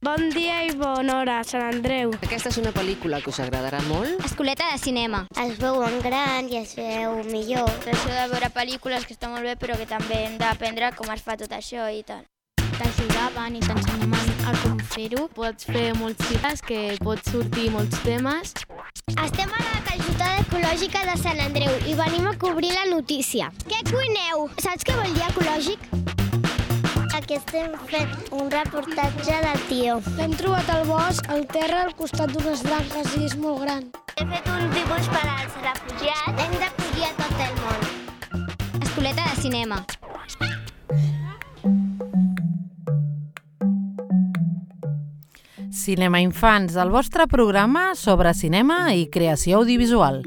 Bon dia i bona hora, Sant Andreu. Aquesta és una pel·lícula que us agradarà molt. Escoleta de cinema. Es veu en gran i es veu millor. Això de veure pel·lícules que està molt bé, però que també hem d'aprendre com es fa tot això i tal. T'ajudaven i t'ensenyaven a com fer-ho. Pots fer molts llibres, que pots sortir molts temes. Estem a la calçotada ecològica de Sant Andreu i venim a cobrir la notícia. Què cuineu? Saps què vol dir ecològic? Aquí estem fent un reportatge de tio. L'hem trobat al bosc, al terra, al costat d'unes branques i és molt gran. He fet un dibuix per als refugiats. Hem d'acollir a tot el món. Escoleta de cinema. Cinema Infants, el vostre programa sobre cinema i creació audiovisual.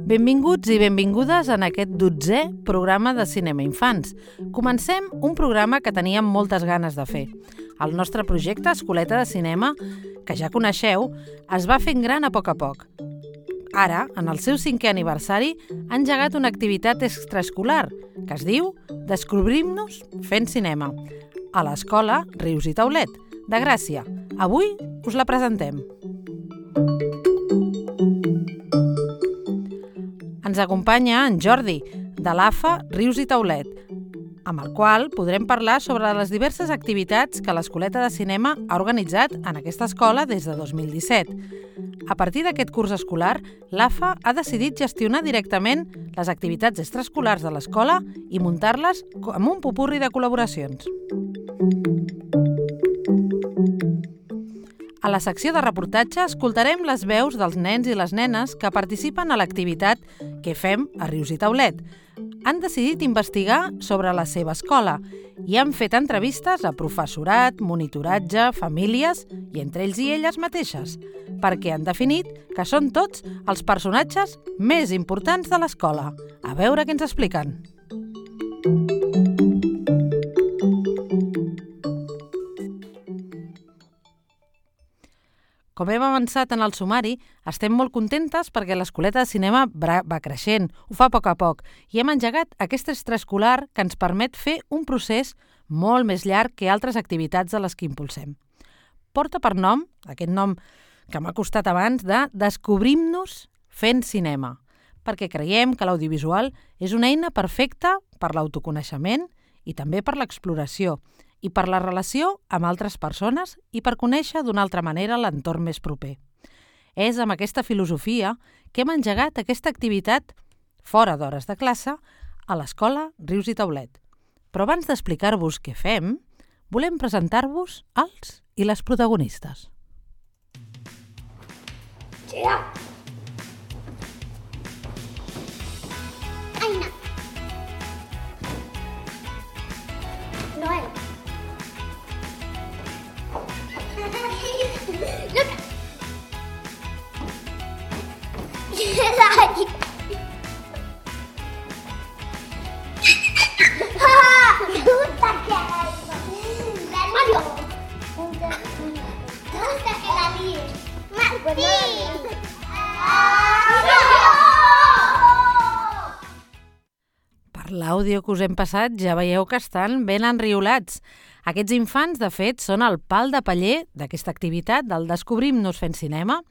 Benvinguts i benvingudes en aquest 12è programa de Cinema Infants. Comencem un programa que teníem moltes ganes de fer. El nostre projecte Escoleta de Cinema, que ja coneixeu, es va fent gran a poc. Ara, en el seu 5è aniversari, ha engegat una activitat extraescolar que es diu Descobrim-nos fent cinema, a l'escola Rius i Taulet, de Gràcia. Avui us la presentem. Ens acompanya en Jordi, de l'AFA Rius i Taulet, amb el qual podrem parlar sobre les diverses activitats que l'Escoleta de Cinema ha organitzat en aquesta escola des de 2017. A partir d'aquest curs escolar, l'AFA ha decidit gestionar directament les activitats extraescolars de l'escola i muntar-les amb un popurri de col·laboracions. A la secció de reportatge escoltarem les veus dels nens i les nenes que participen a l'activitat que fem a Rius i Taulet. Han decidit investigar sobre la seva escola i han fet entrevistes a professorat, monitoratge, famílies i entre ells i elles mateixes, perquè han definit que són tots els personatges més importants de l'escola. A veure què ens expliquen. Com hem avançat en el sumari, estem molt contentes perquè l'Escoleta de Cinema va creixent, ho fa a poc, i hem engegat aquest extraescolar que ens permet fer un procés molt més llarg que altres activitats de les que impulsem. Porta per nom, aquest nom que m'ha costat abans, de Descobrim-nos fent cinema, perquè creiem que l'audiovisual és una eina perfecta per l'autoconeixement i també per l'exploració, i per la relació amb altres persones i per conèixer d'una altra manera l'entorn més proper. És amb aquesta filosofia que hem engegat aquesta activitat fora d'hores de classe a l'escola Rius i Taulet. Però abans d'explicar-vos què fem, volem presentar-vos els i les protagonistes. Aina. Noel. Luca. Dai. Mario. Gusta que la líes. Martín. Per l'àudio que us hem passat ja veieu que estan ben enriolats. Aquests infants, de fet, són el pal de paller d'aquesta activitat del Descobrim-nos fent cinema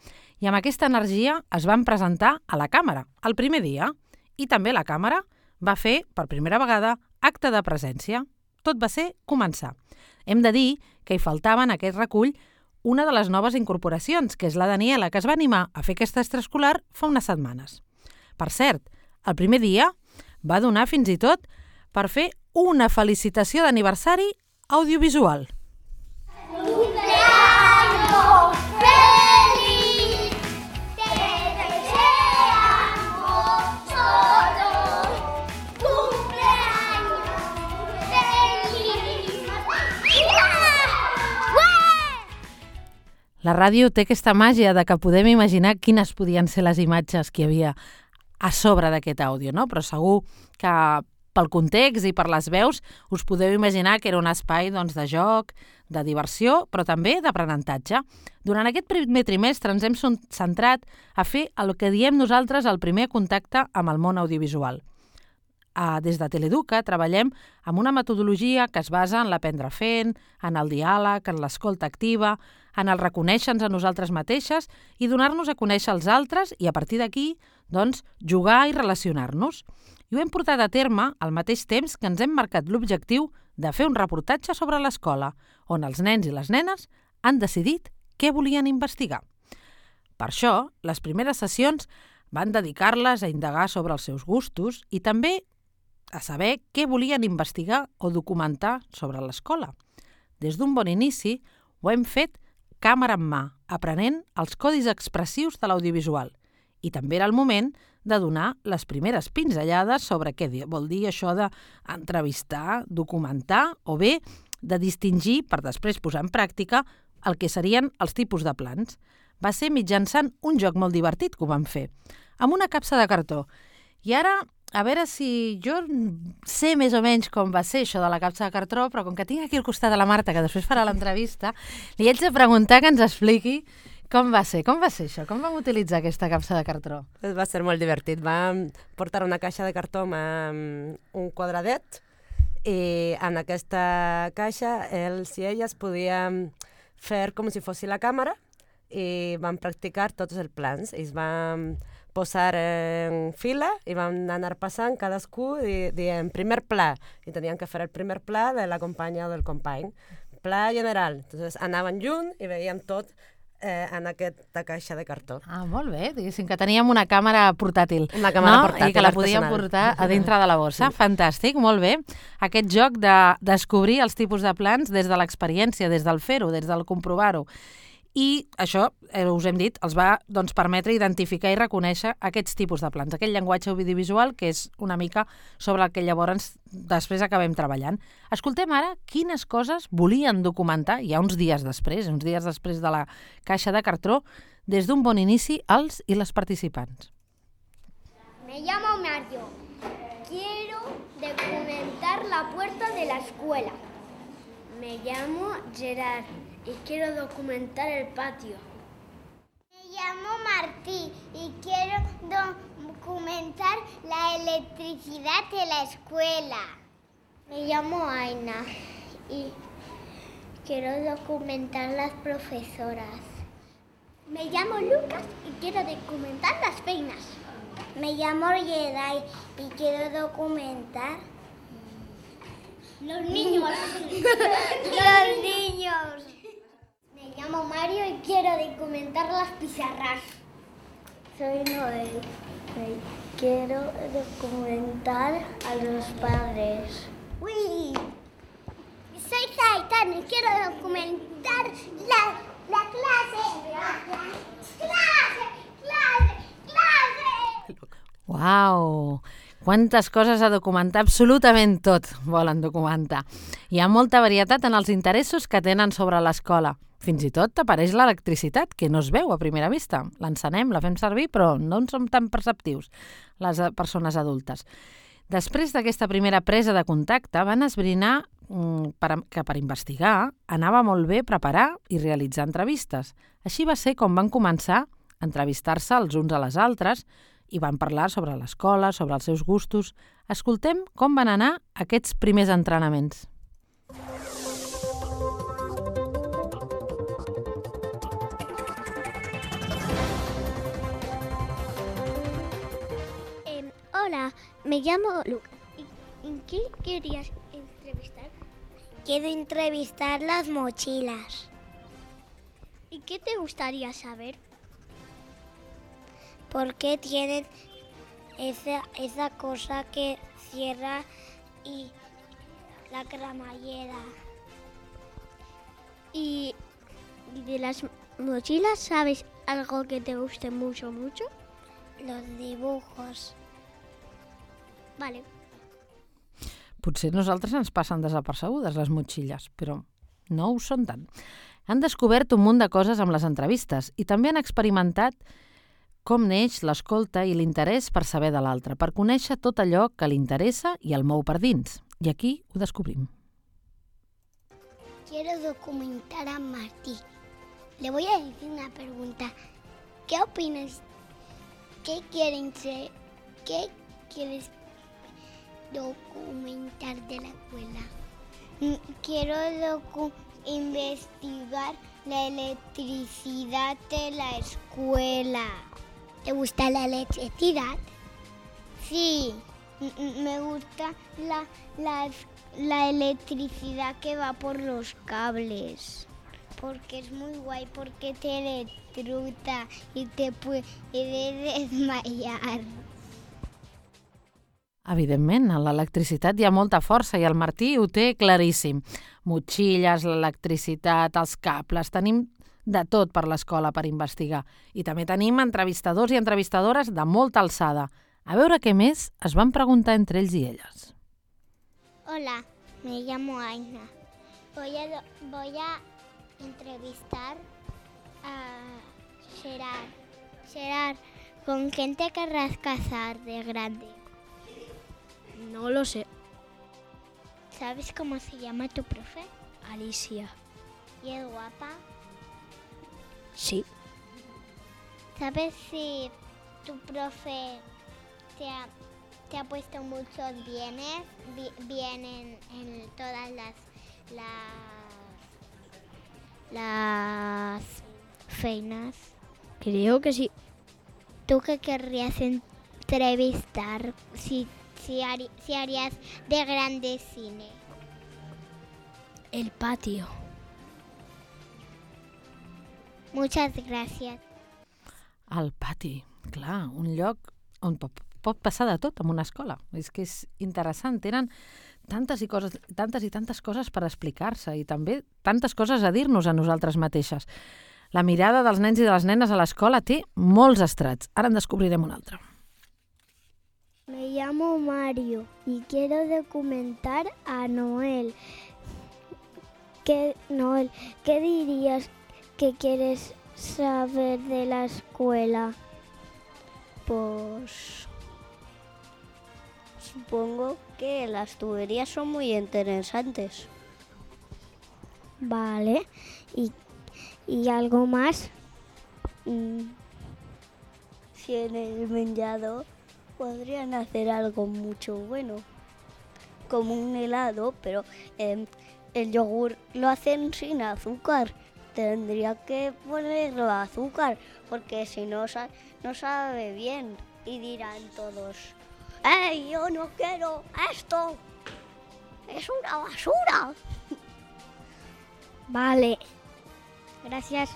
i amb aquesta energia es van presentar a la càmera el primer dia i també la càmera va fer, per primera vegada, acte de presència. Tot va ser començar. Hem de dir que hi faltava en aquest recull una de les noves incorporacions, que és la Daniela, que es va animar a fer aquest extraescolar fa unes setmanes. Per cert, el primer dia va donar fins i tot per fer una felicitació d'aniversari audiovisual. ¡Cumpleaños feliz! ¡Te deseamos todos! ¡Cumpleaños feliz! La ràdio té aquesta màgia de que podem imaginar quines podien ser les imatges que hi havia a sobre d'aquest àudio, no? Però segur que pel context i per les veus us podeu imaginar que era un espai de joc, de diversió, però també d'aprenentatge. Durant aquest primer trimestre ens hem centrat a fer el que diem nosaltres el primer contacte amb el món audiovisual. des de Teleeduca treballem amb una metodologia que es basa en l'aprendre fent, en el diàleg, en l'escolta activa, en el reconèixer-nos a nosaltres mateixes i donar-nos a conèixer els altres i a partir d'aquí, doncs, jugar i relacionar-nos. I ho hem portat a terme al mateix temps que ens hem marcat l'objectiu de fer un reportatge sobre l'escola, on els nens i les nenes han decidit què volien investigar. Per això, les primeres sessions van dedicar-les a indagar sobre els seus gustos i també a saber què volien investigar o documentar sobre l'escola. Des d'un bon inici ho hem fet càmera en mà, aprenent els codis expressius de l'audiovisual. I també era el moment de donar les primeres pinzellades sobre què vol dir això d'entrevistar, documentar o bé de distingir, per després posar en pràctica, el que serien els tipus de plans. Va ser mitjançant un joc molt divertit que ho vam fer, amb una capsa de cartó. I ara, a veure si jo sé més o menys com va ser això de la capsa de cartó, però com que tinc aquí al costat de la Marta, que després farà l'entrevista, li haig de preguntar que ens expliqui com va ser això? Com vam utilitzar aquesta capsa de cartó? Va ser molt divertit. Vam portar una caixa de cartó amb un quadradet i en aquesta caixa ells i elles podien fer com si fos la càmera i vam practicar tots els plans. Ells van posar en fila i van anar passant cadascú dient primer pla i tenien que fer el primer pla de la companya o del company. Pla general. Entonces anaven junts i veien tot en aquesta caixa de cartó. Ah, molt bé. Diguéssim que teníem una càmera portàtil. Una càmera portàtil, i que la podíem portar a dintre de la bossa. Sí. Fantàstic, molt bé. Aquest joc de descobrir els tipus de plans des de l'experiència, des del fer-ho, des del comprovar-ho. I això, us hem dit, els va permetre identificar i reconèixer aquests tipus de plans, aquell llenguatge audiovisual que és una mica sobre el que llavors després acabem treballant. Escoltem ara quines coses volien documentar ja uns dies després de la caixa de cartó, des d'un bon inici, els i les participants. Me llamo Mario. Quiero documentar la puerta de la escuela. Me llamo Gerard y quiero documentar el patio. Me llamo Martí y quiero documentar la electricidad de la escuela. Me llamo Aina y quiero documentar las profesoras. Me llamo Lucas y quiero documentar las peinas. Me llamo Yeday y quiero documentar los niños. Los niños. Me llamo Mario y quiero documentar las pizarras. Soy Noel y quiero documentar a los padres. Uy. Soy Zaitán y quiero documentar la clase. ¡Clase! Uau! Quantes coses a documentar, absolutament tot volen documentar. Hi ha molta varietat en els interessos que tenen sobre l'escola. Fins i tot apareix l'electricitat, que no es veu a primera vista. L'encenem, la fem servir, però no en som tan perceptius, les persones adultes. Després d'aquesta primera presa de contacte, van esbrinar que per investigar anava molt bé preparar i realitzar entrevistes. Així va ser com van començar a entrevistar-se els uns a les altres i van parlar sobre l'escola, sobre els seus gustos. Escoltem com van anar aquests primers entrenaments. Hola, me llamo Lucas. ¿Y qué querías entrevistar? Quiero entrevistar las mochilas. ¿Y qué te gustaría saber? ¿Por qué tienen esa cosa que cierra y la cremallera? ¿Y de las mochilas sabes algo que te guste mucho? Los dibujos. Vale. Potser nosaltres ens passen desapercebudes les motxilles, però no ho són tant. Han descobert un munt de coses amb les entrevistes i també han experimentat com neix l'escolta i l'interès per saber de l'altre, per conèixer tot allò que li interessa i el mou per dins. I aquí ho descobrim. Quiero documentar a Martí. Le voy a decir una pregunta. ¿Qué opinas? ¿Qué quieres Documentar de la escuela. Quiero investigar la electricidad de la escuela. ¿Te gusta la electricidad? Sí, me gusta la electricidad que va por los cables. Porque es muy guay, porque te electrocuta y te puede desmayar. Evidentment, en l'electricitat hi ha molta força i el Martí ho té claríssim. Motxilles, l'electricitat, els cables, tenim de tot per l'escola per investigar. I també tenim entrevistadors i entrevistadores de molta alçada. A veure què més es van preguntar entre ells i elles. Hola, me llamo Aina. Voy a entrevistar a Gerard. Gerard, ¿con quién te querrás casar de grande? No lo sé. ¿Sabes cómo se llama tu profe? Alicia. ¿Y es guapa? Sí. ¿Sabes si tu profe te ha puesto muchos bienes en todas las feinas? Creo que sí. ¿Tú qué querrías entrevistar si harías de grande cine? El patio. Muchas gracias. El pati, clar, un lloc on pot passar de tot en una escola. És que és interessant, tenen tantes i tantes coses per explicar-se i també tantes coses a dir-nos a nosaltres mateixes. La mirada dels nens i de les nenes a l'escola té molts estrats. Ara en descobrirem un altre. Me llamo Mario y quiero documentar a Noel. Noel, ¿qué dirías que quieres saber de la escuela? Pues supongo que las tuberías son muy interesantes. Vale, ¿y algo más? Si en el menjador podrían hacer algo mucho bueno, como un helado, pero el yogur lo hacen sin azúcar. Tendría que ponerlo azúcar, porque si no, no sabe bien. Y dirán todos, ¡Ey, yo no quiero esto! ¡Es una basura! Vale, gràcies.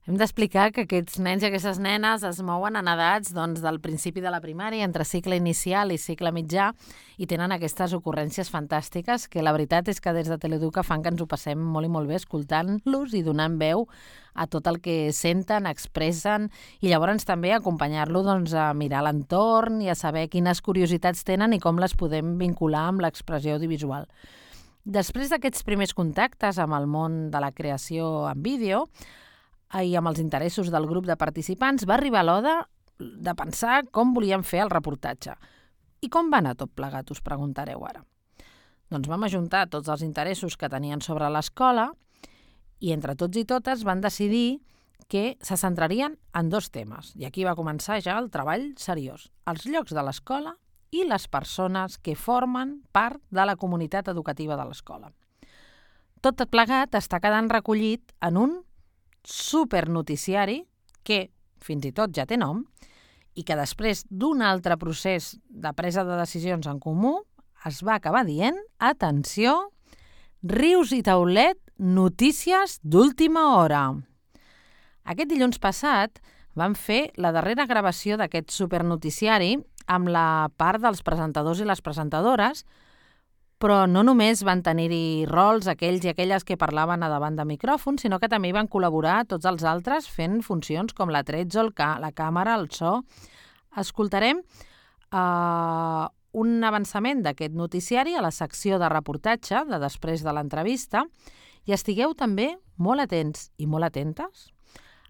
Hem d'explicar que aquests nens i aquestes nenes es mouen en edats del principi de la primària, entre cicle inicial i cicle mitjà, i tenen aquestes ocurrències fantàstiques que la veritat és que des de Teleeduca fan que ens ho passem molt i molt bé escoltant-los i donant veu a tot el que senten, expressen, i llavors també acompanyar-lo a mirar l'entorn i a saber quines curiositats tenen i com les podem vincular amb l'expressió audiovisual. Després d'aquests primers contactes amb el món de la creació en vídeo, i amb els interessos del grup de participants, va arribar l'hora de pensar com volíem fer el reportatge. I com va anar tot plegat, us preguntareu ara. Doncs vam ajuntar tots els interessos que tenien sobre l'escola i entre tots i totes van decidir que se centrarien en 2 temes. I aquí va començar ja el treball seriós. Els llocs de l'escola i les persones que formen part de la comunitat educativa de l'escola. Tot plegat està quedant recollit en un supernoticiari que fins i tot ja té nom i que després d'un altre procés de presa de decisions en comú es va acabar dient, atenció, Rius i Taulet, notícies d'última hora. Aquest dilluns passat vam fer la darrera gravació d'aquest supernoticiari amb la part dels presentadors i les presentadores, però no només van tenir-hi rols aquells i aquelles que parlaven a davant de micròfon, sinó que també hi van col·laborar tots els altres fent funcions com la tretzo, la càmera, el so. Escoltarem un avançament d'aquest noticiari a la secció de reportatge de després de l'entrevista i estigueu també molt atents i molt atentes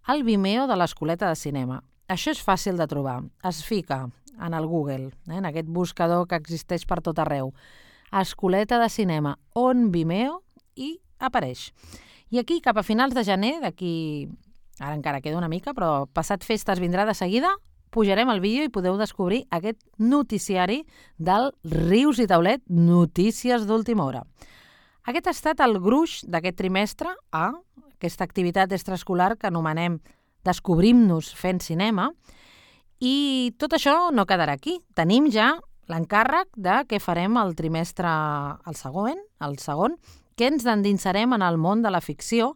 al Vimeo de l'Escoleta de Cinema. Això és fàcil de trobar. Es fica en el Google, en aquest buscador que existeix per tot arreu. Escoleta de Cinema on Vimeo i apareix. I aquí, cap a finals de gener, d'aquí, ara encara queda una mica, però passat festes vindrà de seguida, pujarem el vídeo i podeu descobrir aquest noticiari del Rius i Taulet, notícies d'última hora. Aquest ha estat el gruix d'aquest trimestre a aquesta activitat extraescolar que anomenem Descobrim-nos fent cinema, i tot això no quedarà aquí. Tenim ja l'encàrrec de què farem el trimestre, el segon, que ens endinsarem en el món de la ficció,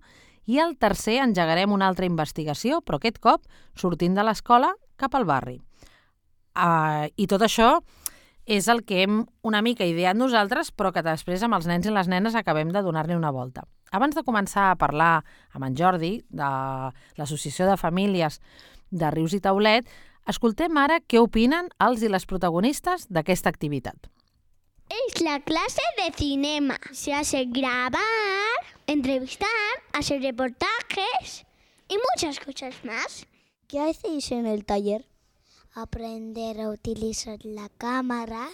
i el tercer engegarem una altra investigació, però aquest cop sortint de l'escola cap al barri. I tot això és el que hem una mica ideat nosaltres, però que després amb els nens i les nenes acabem de donar-li una volta. Abans de començar a parlar amb en Jordi, de l'Associació de Famílies de Rius i Taulet, escoltem ara què opinen els i les protagonistes d'aquesta activitat. Es la clase de cinema. Se hace grabar, entrevistar, hacer reportajes y muchas cosas más. ¿Qué hacéis en el taller? Aprender a utilizar la cámara,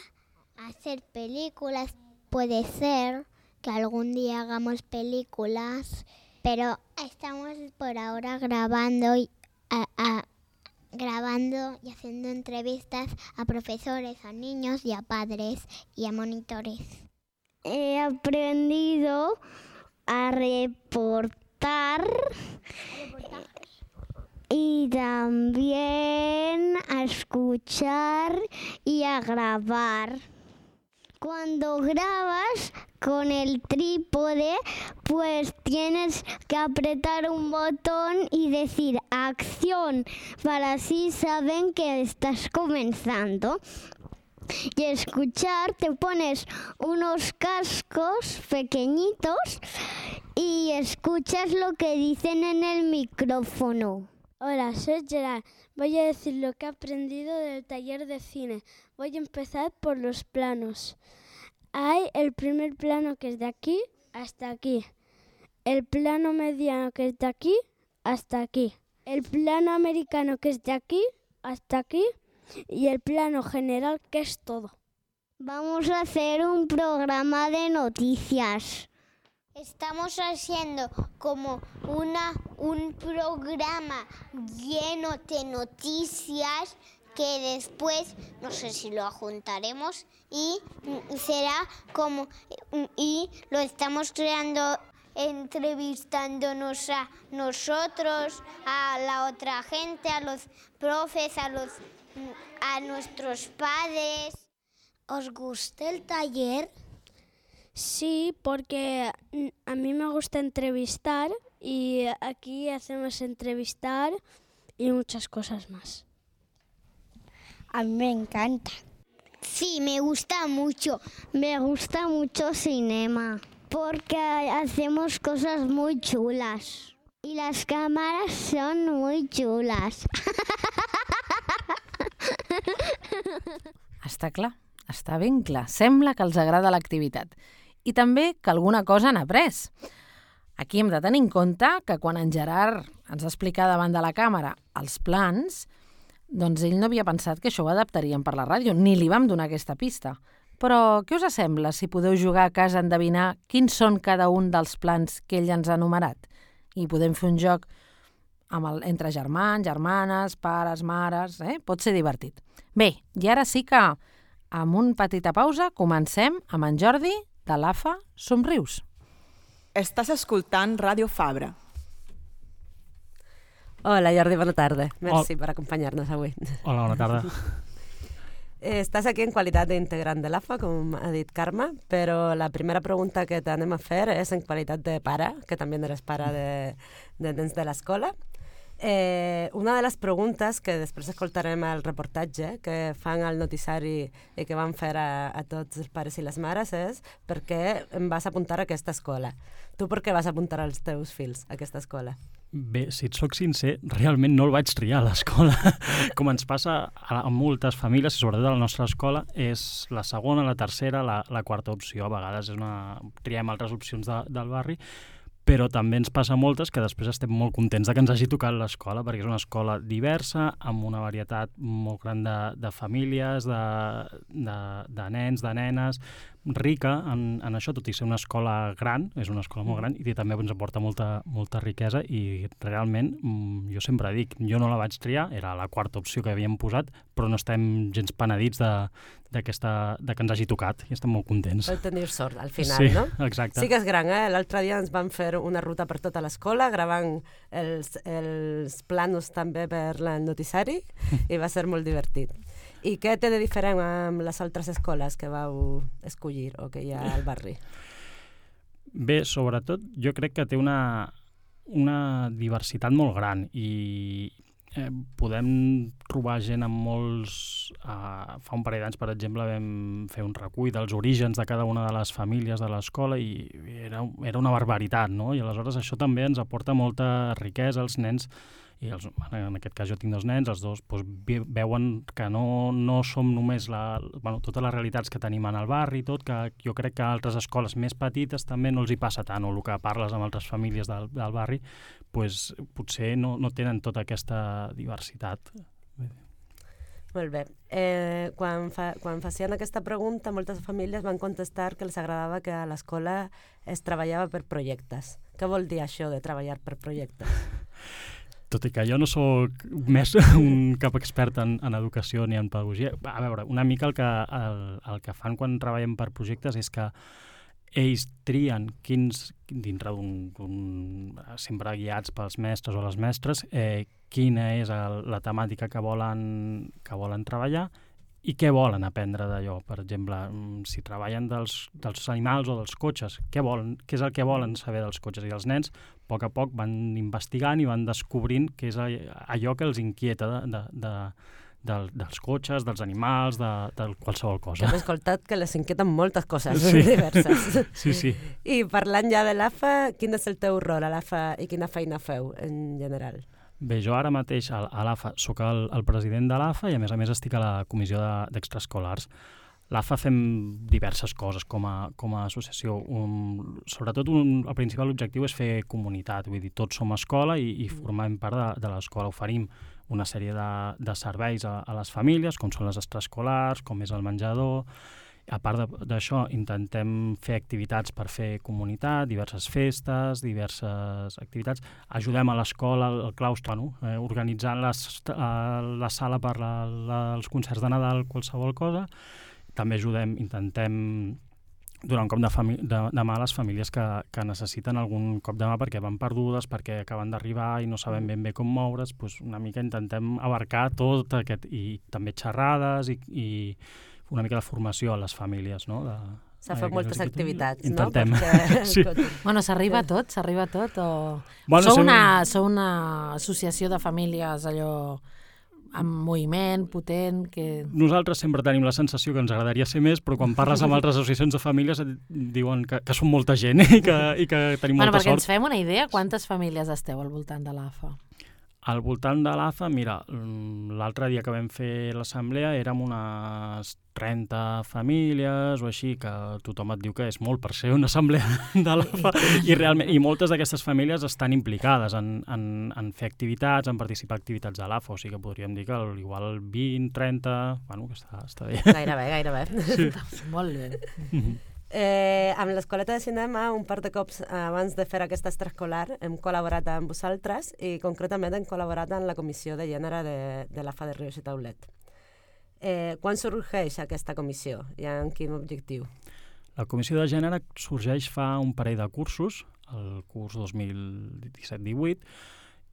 hacer películas. Puede ser que algún día hagamos películas, pero estamos por ahora grabando y haciendo entrevistas a profesores, a niños y a padres y a monitores. He aprendido a reportar y también a escuchar y a grabar. Cuando grabas con el trípode, pues tienes que apretar un botón y decir acción, para así saben que estás comenzando. Y escuchar, te pones unos cascos pequeñitos y escuchas lo que dicen en el micrófono. Hola, soy Gerard. Voy a decir lo que he aprendido del taller de cine. Voy a empezar por los planos. Hay el primer plano que es de aquí hasta aquí. El plano mediano que es de aquí hasta aquí. El plano americano que es de aquí hasta aquí. Y el plano general que es todo. Vamos a hacer un programa de noticias. Estamos haciendo como un programa lleno de noticias que después, no sé si lo juntaremos y será como, y lo estamos creando entrevistándonos a nosotros, a la otra gente, a los profes, a nuestros padres. ¿Os gusta el taller? Sí, porque a mí me gusta entrevistar y aquí hacemos entrevistar y muchas cosas más. A mí me encanta. Sí, me gusta mucho. Me gusta mucho cinema porque hacemos cosas muy chulas y las cámaras son muy chulas. Està clar, està ben clar. Sembla que els agrada l'activitat. I també que alguna cosa han après. Aquí hem de tenir en compte que quan en Gerard ens va explicar davant de la càmera els plans, doncs ell no havia pensat que això ho adaptarien per la ràdio, ni li vam donar aquesta pista. Però què us sembla si podeu jugar a casa a endevinar quins són cada un dels plans que ell ens ha enumerat? I podem fer un joc entre germans, germanes, pares, mares... Pot ser divertit. Bé, i ara sí que, amb una petita pausa, comencem amb en Jordi de l'AFA Somrius. Estàs escoltant Ràdio Fabra. Hola, Jordi, bona tarda. Merci per acompanyar-nos avui. Hola, bona tarda. Estàs aquí en qualitat d'integrant de l'AFA, com ha dit Carme, però la primera pregunta que t'anem a fer és en qualitat de pare, que també eres pare de nens de l'escola. Una de les preguntes que després escoltarem al reportatge que fan al noticiari i que van fer a tots els pares i les mares és per què em vas apuntar a aquesta escola? Tu per què vas apuntar els teus fills a aquesta escola? Bé, si et soc sincer, realment no el vaig triar a l'escola. Com ens passa a moltes famílies, i sobretot a la nostra escola, és la segona, la tercera, la quarta opció. A vegades triem altres opcions del barri, però també ens passa moltes que després estem molt contents que ens hagi tocat l'escola, perquè és una escola diversa, amb una varietat molt gran de famílies, de nens, de nenes, rica en això, tot i ser una escola gran, és una escola molt gran, i també ens aporta molta riquesa, i realment, jo sempre dic, jo no la vaig triar, era la quarta opció que havíem posat, però no estem gens penedits de que ens hagi tocat, i estem molt contents. Vau tenir sort, al final, sí, no? Exacte. Sí que és gran, L'altre dia ens van fer una ruta per tota l'escola, gravant els planos també per el noticiari, i va ser molt divertit. I què té de diferent amb les altres escoles que vau escollir o que hi ha al barri? Bé, sobretot, jo crec que té una diversitat molt gran i podem trobar gent amb molts... Fa un parell d'anys, per exemple, vam fer un recull dels orígens de cada una de les famílies de l'escola i era una barbaritat, no? I aleshores això també ens aporta molta riquesa als nens. I en aquest cas jo tinc 2 nens, els 2 veuen que no som només totes les realitats que tenim en el barri i tot, que jo crec que a altres escoles més petites també no els hi passa tant, o el que parles amb altres famílies del barri, potser no tenen tota aquesta diversitat. Molt bé. Quan facien aquesta pregunta, moltes famílies van contestar que els agradava que a l'escola es treballava per projectes. Què vol dir això de treballar per projectes? Tot i que jo no sóc més cap expert en educació ni en pedagogia, a veure, una mica el que fan quan treballen per projectes és que ells trien dintre sempre guiats pels mestres o les mestres, quina és la temàtica que volen treballar i què volen aprendre d'allò. Per exemple, si treballen dels animals o dels cotxes, què és el que volen saber dels cotxes? I els nens, a poc van investigant i van descobrint què és allò que els inquieta dels cotxes, dels animals, de qualsevol cosa. Que hem escoltat que les inquieten moltes coses diverses. Sí. I parlant ja de l'AFA, quin és el teu rol a l'AFA i quina feina feu en general? Bé, jo ara mateix a l'AFA soc el president de l'AFA i a més estic a la comissió d'extraescolars. L'AFA fem diverses coses com a associació. Sobretot el principal objectiu és fer comunitat, vull dir, tots som escola i formem part de l'escola. Oferim una sèrie de serveis a les famílies, com són les extraescolars, com és el menjador. A part d'això, intentem fer activitats per fer comunitat, diverses festes, diverses activitats. Ajudem a l'escola, al claustre, organitzant la sala per als concerts de Nadal, qualsevol cosa. També intentem donar un cop de mà a les famílies que necessiten algun cop de mà perquè van perdudes, perquè acaben d'arribar i no saben ben bé com moure's. Una mica intentem abarcar tot aquest, i també xerrades i una mica de formació a les famílies, no? S'ha fet moltes activitats, no? Intentem. Sí. Bueno, s'arriba a tot, o... Bueno, Sou una associació de famílies allò amb moviment, potent, que... Nosaltres sempre tenim la sensació que ens agradaria ser més, però quan parles amb altres associacions de famílies et diuen que som molta gent i que tenim molta perquè sort. ens fem una idea, quantes famílies esteu al voltant de l'AFA? Al voltant de l'AFA, mira, l'altre dia que vam fer l'assemblea érem unes 30 famílies o així, que tothom et diu que és molt per ser una assemblea de l'AFA, i moltes d'aquestes famílies estan implicades en fer activitats, en participar en activitats de l'AFA, o sigui que podríem dir que igual 20, 30, bueno, que està bé. Gairebé. Sí. Molt bé. Amb l'Escoleta de Cinema, un par de cops abans de fer aquesta extraescolar, hem col·laborat amb vosaltres i concretament hem col·laborat en la comissió de gènere de l'AFA de Rius i Taulet. Quan sorgeix aquesta comissió i amb quin objectiu? La comissió de gènere sorgeix fa un parell de cursos, el curs 2017-18,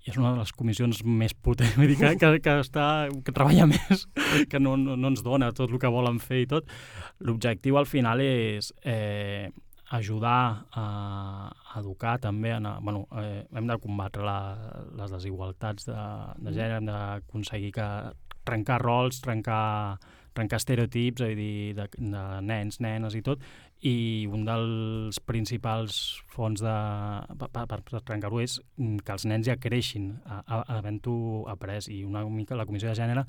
i és una de les comissions més potents, vull dir, que treballa més, que no ens dona tot el que volen fer i tot. L'objectiu al final és ajudar a educar també. Hem de combatre les desigualtats de gènere, hem d'aconseguir trencar rols, trencar estereotips, vull dir, de nens, nenes i tot, i un dels principals fons per trencar-ho és que els nens ja creixin havent-ho après, i una mica la comissió de gènere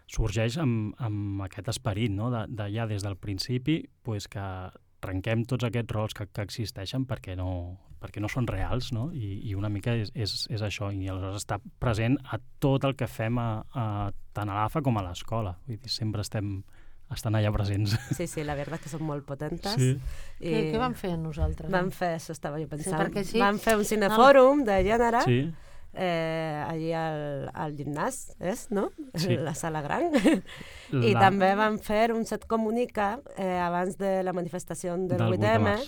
sorgeix amb aquest esperit, no? De ja des del principi que trenquem tots aquests rols que existeixen perquè no són reals, no? I una mica és això, i aleshores està present a tot el que fem tant a l'AFA com a l'escola. Vull dir, sempre estem estan allà presents. Sí, la veritat que són molt potentes. Sí. Què vam fer nosaltres? Vam fer, això estava jo pensant, sí. vam fer un cinefòrum de gènere, Sí. allí al gimnàs, no? Sí. La sala gran. I també vam fer un set comunica abans de la manifestació del 8M,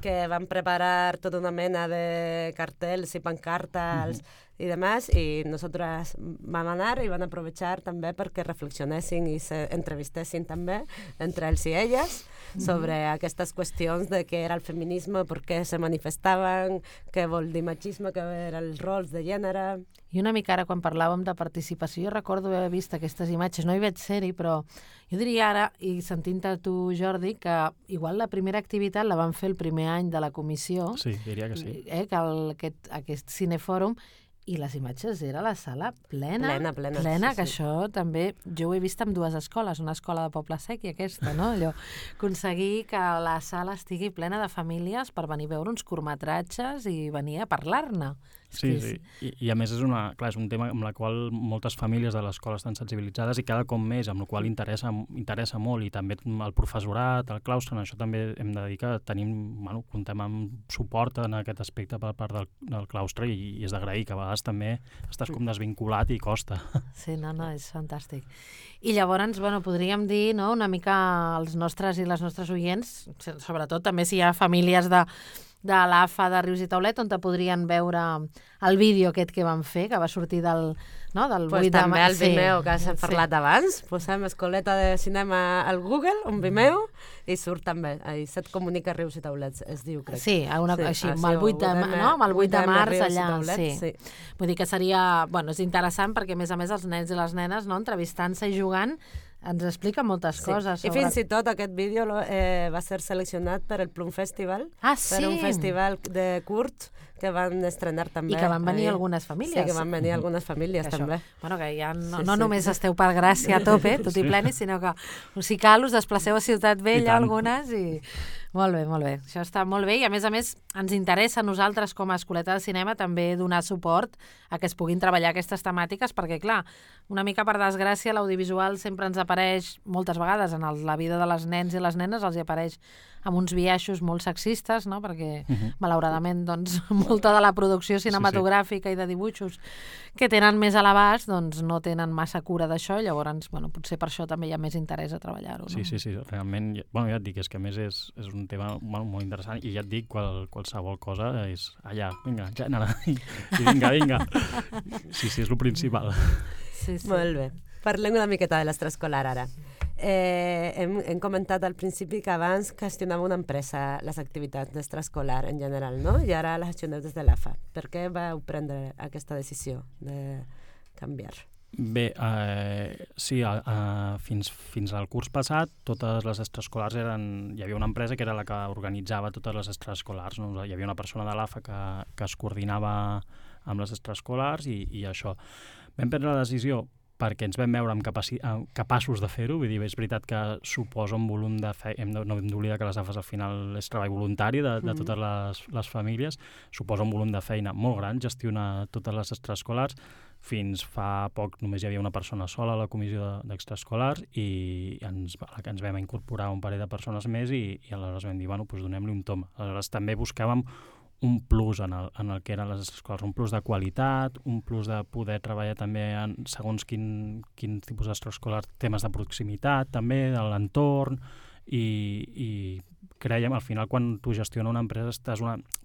que van preparar tota una mena de cartells i pancartes i demás, i nosaltres vam anar i van aprovechar també perquè reflexionessin i s'entrevistessin també entre ells i elles sobre aquestes qüestions de què era el feminisme, per què se manifestaven, què vol dir machisme, què eren els rols de gènere. I una mica ara, quan parlàvem de participació, jo recordo haver vist aquestes imatges, no hi veig ser-hi, però jo diria ara, i sentint-te tu, Jordi, que igual la primera activitat la vam fer el primer any de la comissió. Sí, diria que sí. Que aquest cinefòrum, i les imatges era la sala plena, sí, que això també, jo ho he vist en dues escoles, una escola de Poble Sec i aquesta, no? Allò, aconseguir que la sala estigui plena de famílies per venir a veure uns curtmetratges i venir a parlar-ne. Sí. I a més és un tema amb la qual moltes famílies de l'escola estan sensibilitzades i cada cop més, amb la qual interessa molt, i també el professorat, el claustre, en això també hem de dir que comptem amb suport en aquest aspecte per part del claustre i és d'agrair, que a vegades també estàs com desvinculat i costa. Sí, no, és fantàstic. I llavors, podríem dir, no, una mica als nostres i les nostres oients, sobretot també si hi ha famílies de l'AFA de Rius i Taulet, on te podrien veure el vídeo aquest que vam fer, que va sortir del 8 de també el Vimeo, que has parlat abans. Posem Escoleta de Cinema al Google, un Vimeo, i surt també. Set comunica Rius i Taulet, es diu, crec. Sí, així, amb el 8 de març allà. Sí. Vull dir que seria, és interessant perquè, a més, els nens i les nenes, entrevistant-se i jugant, ens explica moltes coses. I fins i tot aquest vídeo va ser seleccionat per el Plum Festival, per un festival de curt que van estrenar també. I que van venir algunes famílies. Sí, que van venir algunes famílies també. Que ja no només esteu per Gràcia a tope, tot i pleni, sinó que si cal us desplaceu a Ciutat Vella algunes i... Molt bé. Això està molt bé i, a més, ens interessa a nosaltres com a Escoleta de Cinema també donar suport a que es puguin treballar aquestes temàtiques perquè, clar, una mica per desgràcia, l'audiovisual sempre ens apareix moltes vegades en la vida de les nens i les nenes, els hi apareix amb uns biaixos molt sexistes, no? Perquè, malauradament, molta de la producció cinematogràfica i de dibuixos que tenen més a l'abast, no tenen massa cura d'això, llavors, potser per això també hi ha més interès a treballar-ho. Sí, realment, ja et dic, és que a més és un tema molt interessant i ja et dic, qualsevol cosa és allà, vinga, gènere, i vinga. Sí, és el principal. Sí. Molt bé. Parlem una miqueta de l'extraescolar ara. Hem comentat al principi que abans gestionava una empresa les activitats d'extraescolar en general, no? I ara les gestioneu des de l'AFA. Per què vau prendre aquesta decisió de canviar? Bé, sí, fins al curs passat totes les extraescolars hi havia una empresa que era la que organitzava totes les extraescolars, no? Hi havia una persona de l'AFA que es coordinava amb les extraescolars i això. Vam prendre la decisió perquè ens vam veure capaços de fer-ho, vull dir, és veritat que suposa un volum de feina, no hem d'oblidar que les AFAs al final és treball voluntari de totes les famílies, suposa un volum de feina molt gran gestionar totes les extraescolars. Fins fa poc només hi havia una persona sola a la comissió d'extraescolars i ens vam incorporar un parell de persones més i aleshores vam dir, donem-li un tom. Aleshores també buscàvem un plus en el que eren les escoles, un plus de qualitat, un plus de poder treballar també en segons quin tipus d'extraescolar, temes de proximitat també, de l'entorn, i creiem, al final, quan tu gestiones una empresa,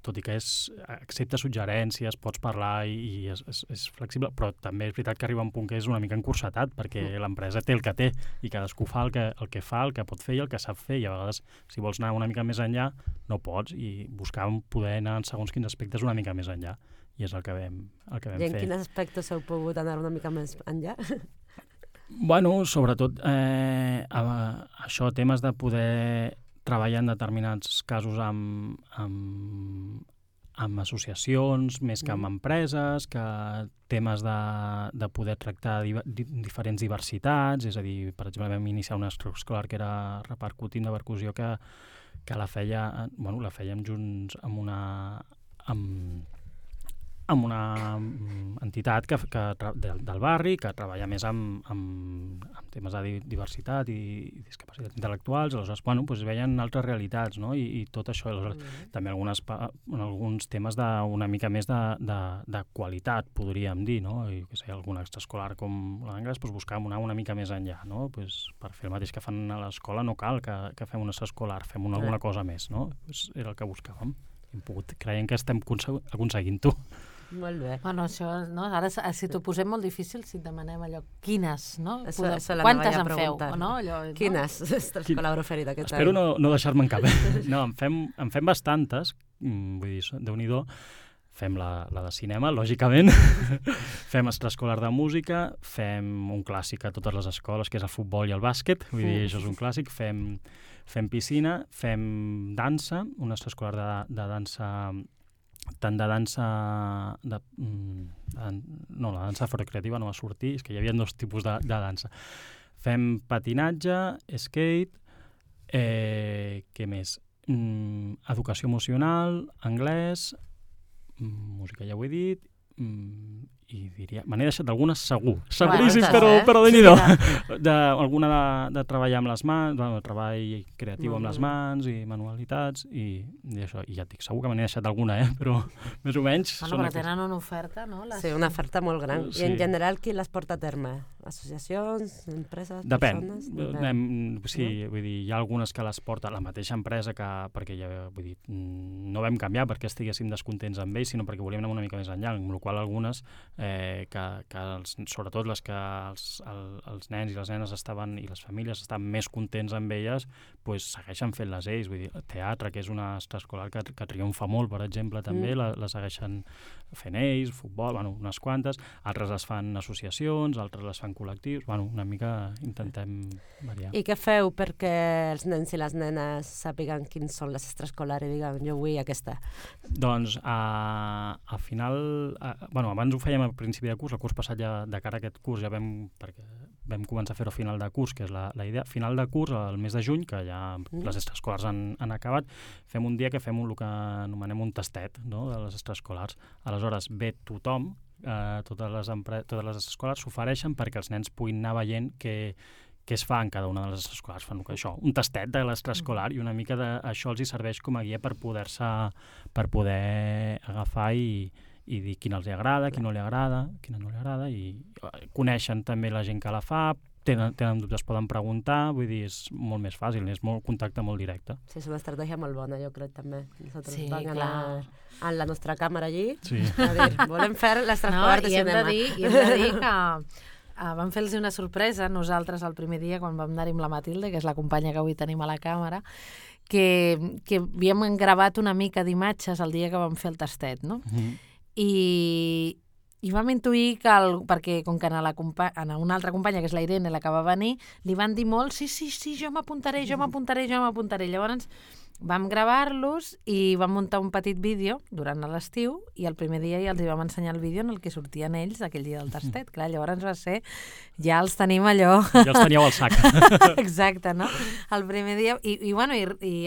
tot i que accepta suggerències, pots parlar i és flexible, però també és veritat que arriba un punt que és una mica encursetat, perquè l'empresa té el que té, i cadascú fa el que fa, el que pot fer i el que sap fer, i a vegades, si vols anar una mica més enllà, no pots, i buscàvem poder anar en segons quins aspectes una mica més enllà, i és el que vam fer. I en quins aspectes heu pogut anar una mica més enllà? Sobretot això, temes de poder treballar en determinats casos amb associacions, més que amb empreses, que temes de poder tractar diferents diversitats, és a dir, per exemple, vam iniciar una extraescolar que era repercutint de percussió que la fèiem junts amb una entitat del barri que treballa més amb temes de diversitat i discapacitats intel·lectuals. Aleshores, bueno, doncs veien altres realitats, no? I tot això. Aleshores, també alguns temes una mica més de qualitat, podríem dir, no? I que sé, algun extraescolar com l'anglès, doncs buscàvem una mica més enllà, no? Pues per fer el mateix que fan a l'escola no cal que fem un extraescolar, fem alguna cosa més, no? Pues era el que buscàvem. Creiem que estem aconseguint-ho. Molt bé. Bueno, això, no? Ara, si t'ho posem molt difícil, si et demanem allò, quines, no? Quantes en feu? No? Quines extraescolar preferit aquest any? Espero no deixar-me en cap. No, en fem bastantes, vull dir, Déu-n'hi-do. Fem la de cinema, lògicament, fem extraescolar de música, fem un clàssic a totes les escoles, que és el futbol i el bàsquet, vull dir, això és un clàssic, fem piscina, fem dansa, un extraescolar de dansa, tant de dansa... No, la dansa afrocreativa no va sortir, és que hi havia dos tipus de dansa. Fem patinatge, skate, què més? Educació emocional, anglès, música ja ho he dit, i diria... Me n'he deixat algunes seguríssim, però déu-n'hi-do. Alguna de treballar amb les mans, treball creatiu amb les mans i manualitats, i això. I ja et dic, segur que me n'he deixat alguna, però més o menys... Bueno, però tenen una oferta, no? Sí, una oferta molt gran. I en general, qui les porta a terme? Associacions, empreses, persones? Depèn. Sí, vull dir, hi ha algunes que les porta la mateixa empresa, perquè vull dir, no vam canviar perquè estiguéssim descontents amb ells, sinó perquè volíem anar una mica més enllà, amb la qual algunes sobretot les que els nens i les nenes estaven i les famílies estaven més contents amb elles, doncs segueixen fent-les ells. Vull dir, teatre, que és una extraescolar que triomfa molt, per exemple, també, la segueixen fent ells, futbol, unes quantes, altres les fan associacions, altres les fan col·lectius, una mica intentem variar. I què feu perquè els nens i les nenes sàpiguen quins són les extraescolars i diguen, jo vull aquesta? Doncs, al final, abans ho fèiem al principi de curs, el curs passat ja de cara a aquest curs ja perquè vam començar a fer-ho a final de curs, que és la idea. Final de curs, al mes de juny, que ja les extraescolars han acabat, fem un dia que fem el que anomenem un tastet, no?, de les extraescolars. Aleshores, ve tothom, totes les escoles s'ofereixen perquè els nens puguin anar veient què es fa en cada una de les escolars. Fan això, un tastet de l'extraescolar, i una mica això els hi serveix com a guia per poder agafar i dir quina els agrada, quina no li agrada, i coneixen també la gent que la fa, tenen dubtes, poden preguntar, vull dir, és molt més fàcil, és molt contacte molt directe. Sí, és una estratègia molt bona, jo crec, també. Nosaltres vam anar en la nostra càmera allí, a dir, volem fer l'extraescolar de cinema. I hem de dir que vam fer-los una sorpresa nosaltres el primer dia quan vam anar-hi amb la Matilde, que és la companya que avui tenim a la càmera, que havíem gravat una mica d'imatges el dia que vam fer el tastet, no? I vam intuir que, perquè com que a una altra companya, que és la Irene, la que va venir, li van dir molt, sí, jo m'apuntaré. Llavors vam gravar-los i vam muntar un petit vídeo durant l'estiu, i el primer dia ja els vam ensenyar el vídeo en el que sortien ells aquell dia del tastet. Clar, llavors va ser, ja els tenim allò... Ja els teníeu al sac. Exacte, no? El primer dia... I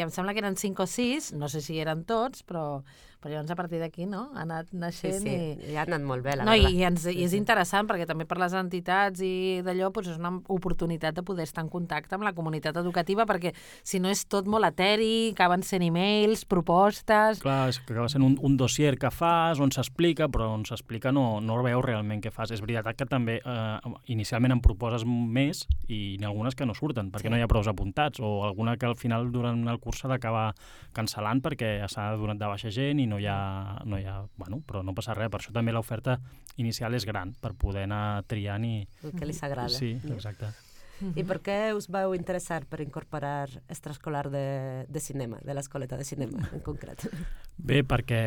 em sembla que eren 5 o 6, no sé si eren tots, però llavors a partir d'aquí, no?, ha anat naixent. Sí, ha anat molt bé, la veritat. I és interessant, perquè també per les entitats i d'allò, és una oportunitat de poder estar en contacte amb la comunitat educativa, perquè si no és tot molt eteri, acaben sent e-mails, propostes... Clar, és que acaba sent un dossier que fas, on s'explica, però on s'explica no veus realment què fas. És veritat que també inicialment em proposes més i n'hi ha algunes que no surten, perquè no hi ha prou apuntats, o alguna que al final durant el curs s'ha d'acabar cancel·lant perquè s'ha donat de baixa gent i no hi ha, però no passa res. Per això també l'oferta inicial és gran, per poder anar triant i... El que li s'agrada. Sí, exacte. I per què us vau interessar per incorporar extraescolar de cinema, de l'escoleta de cinema en concret? Bé, perquè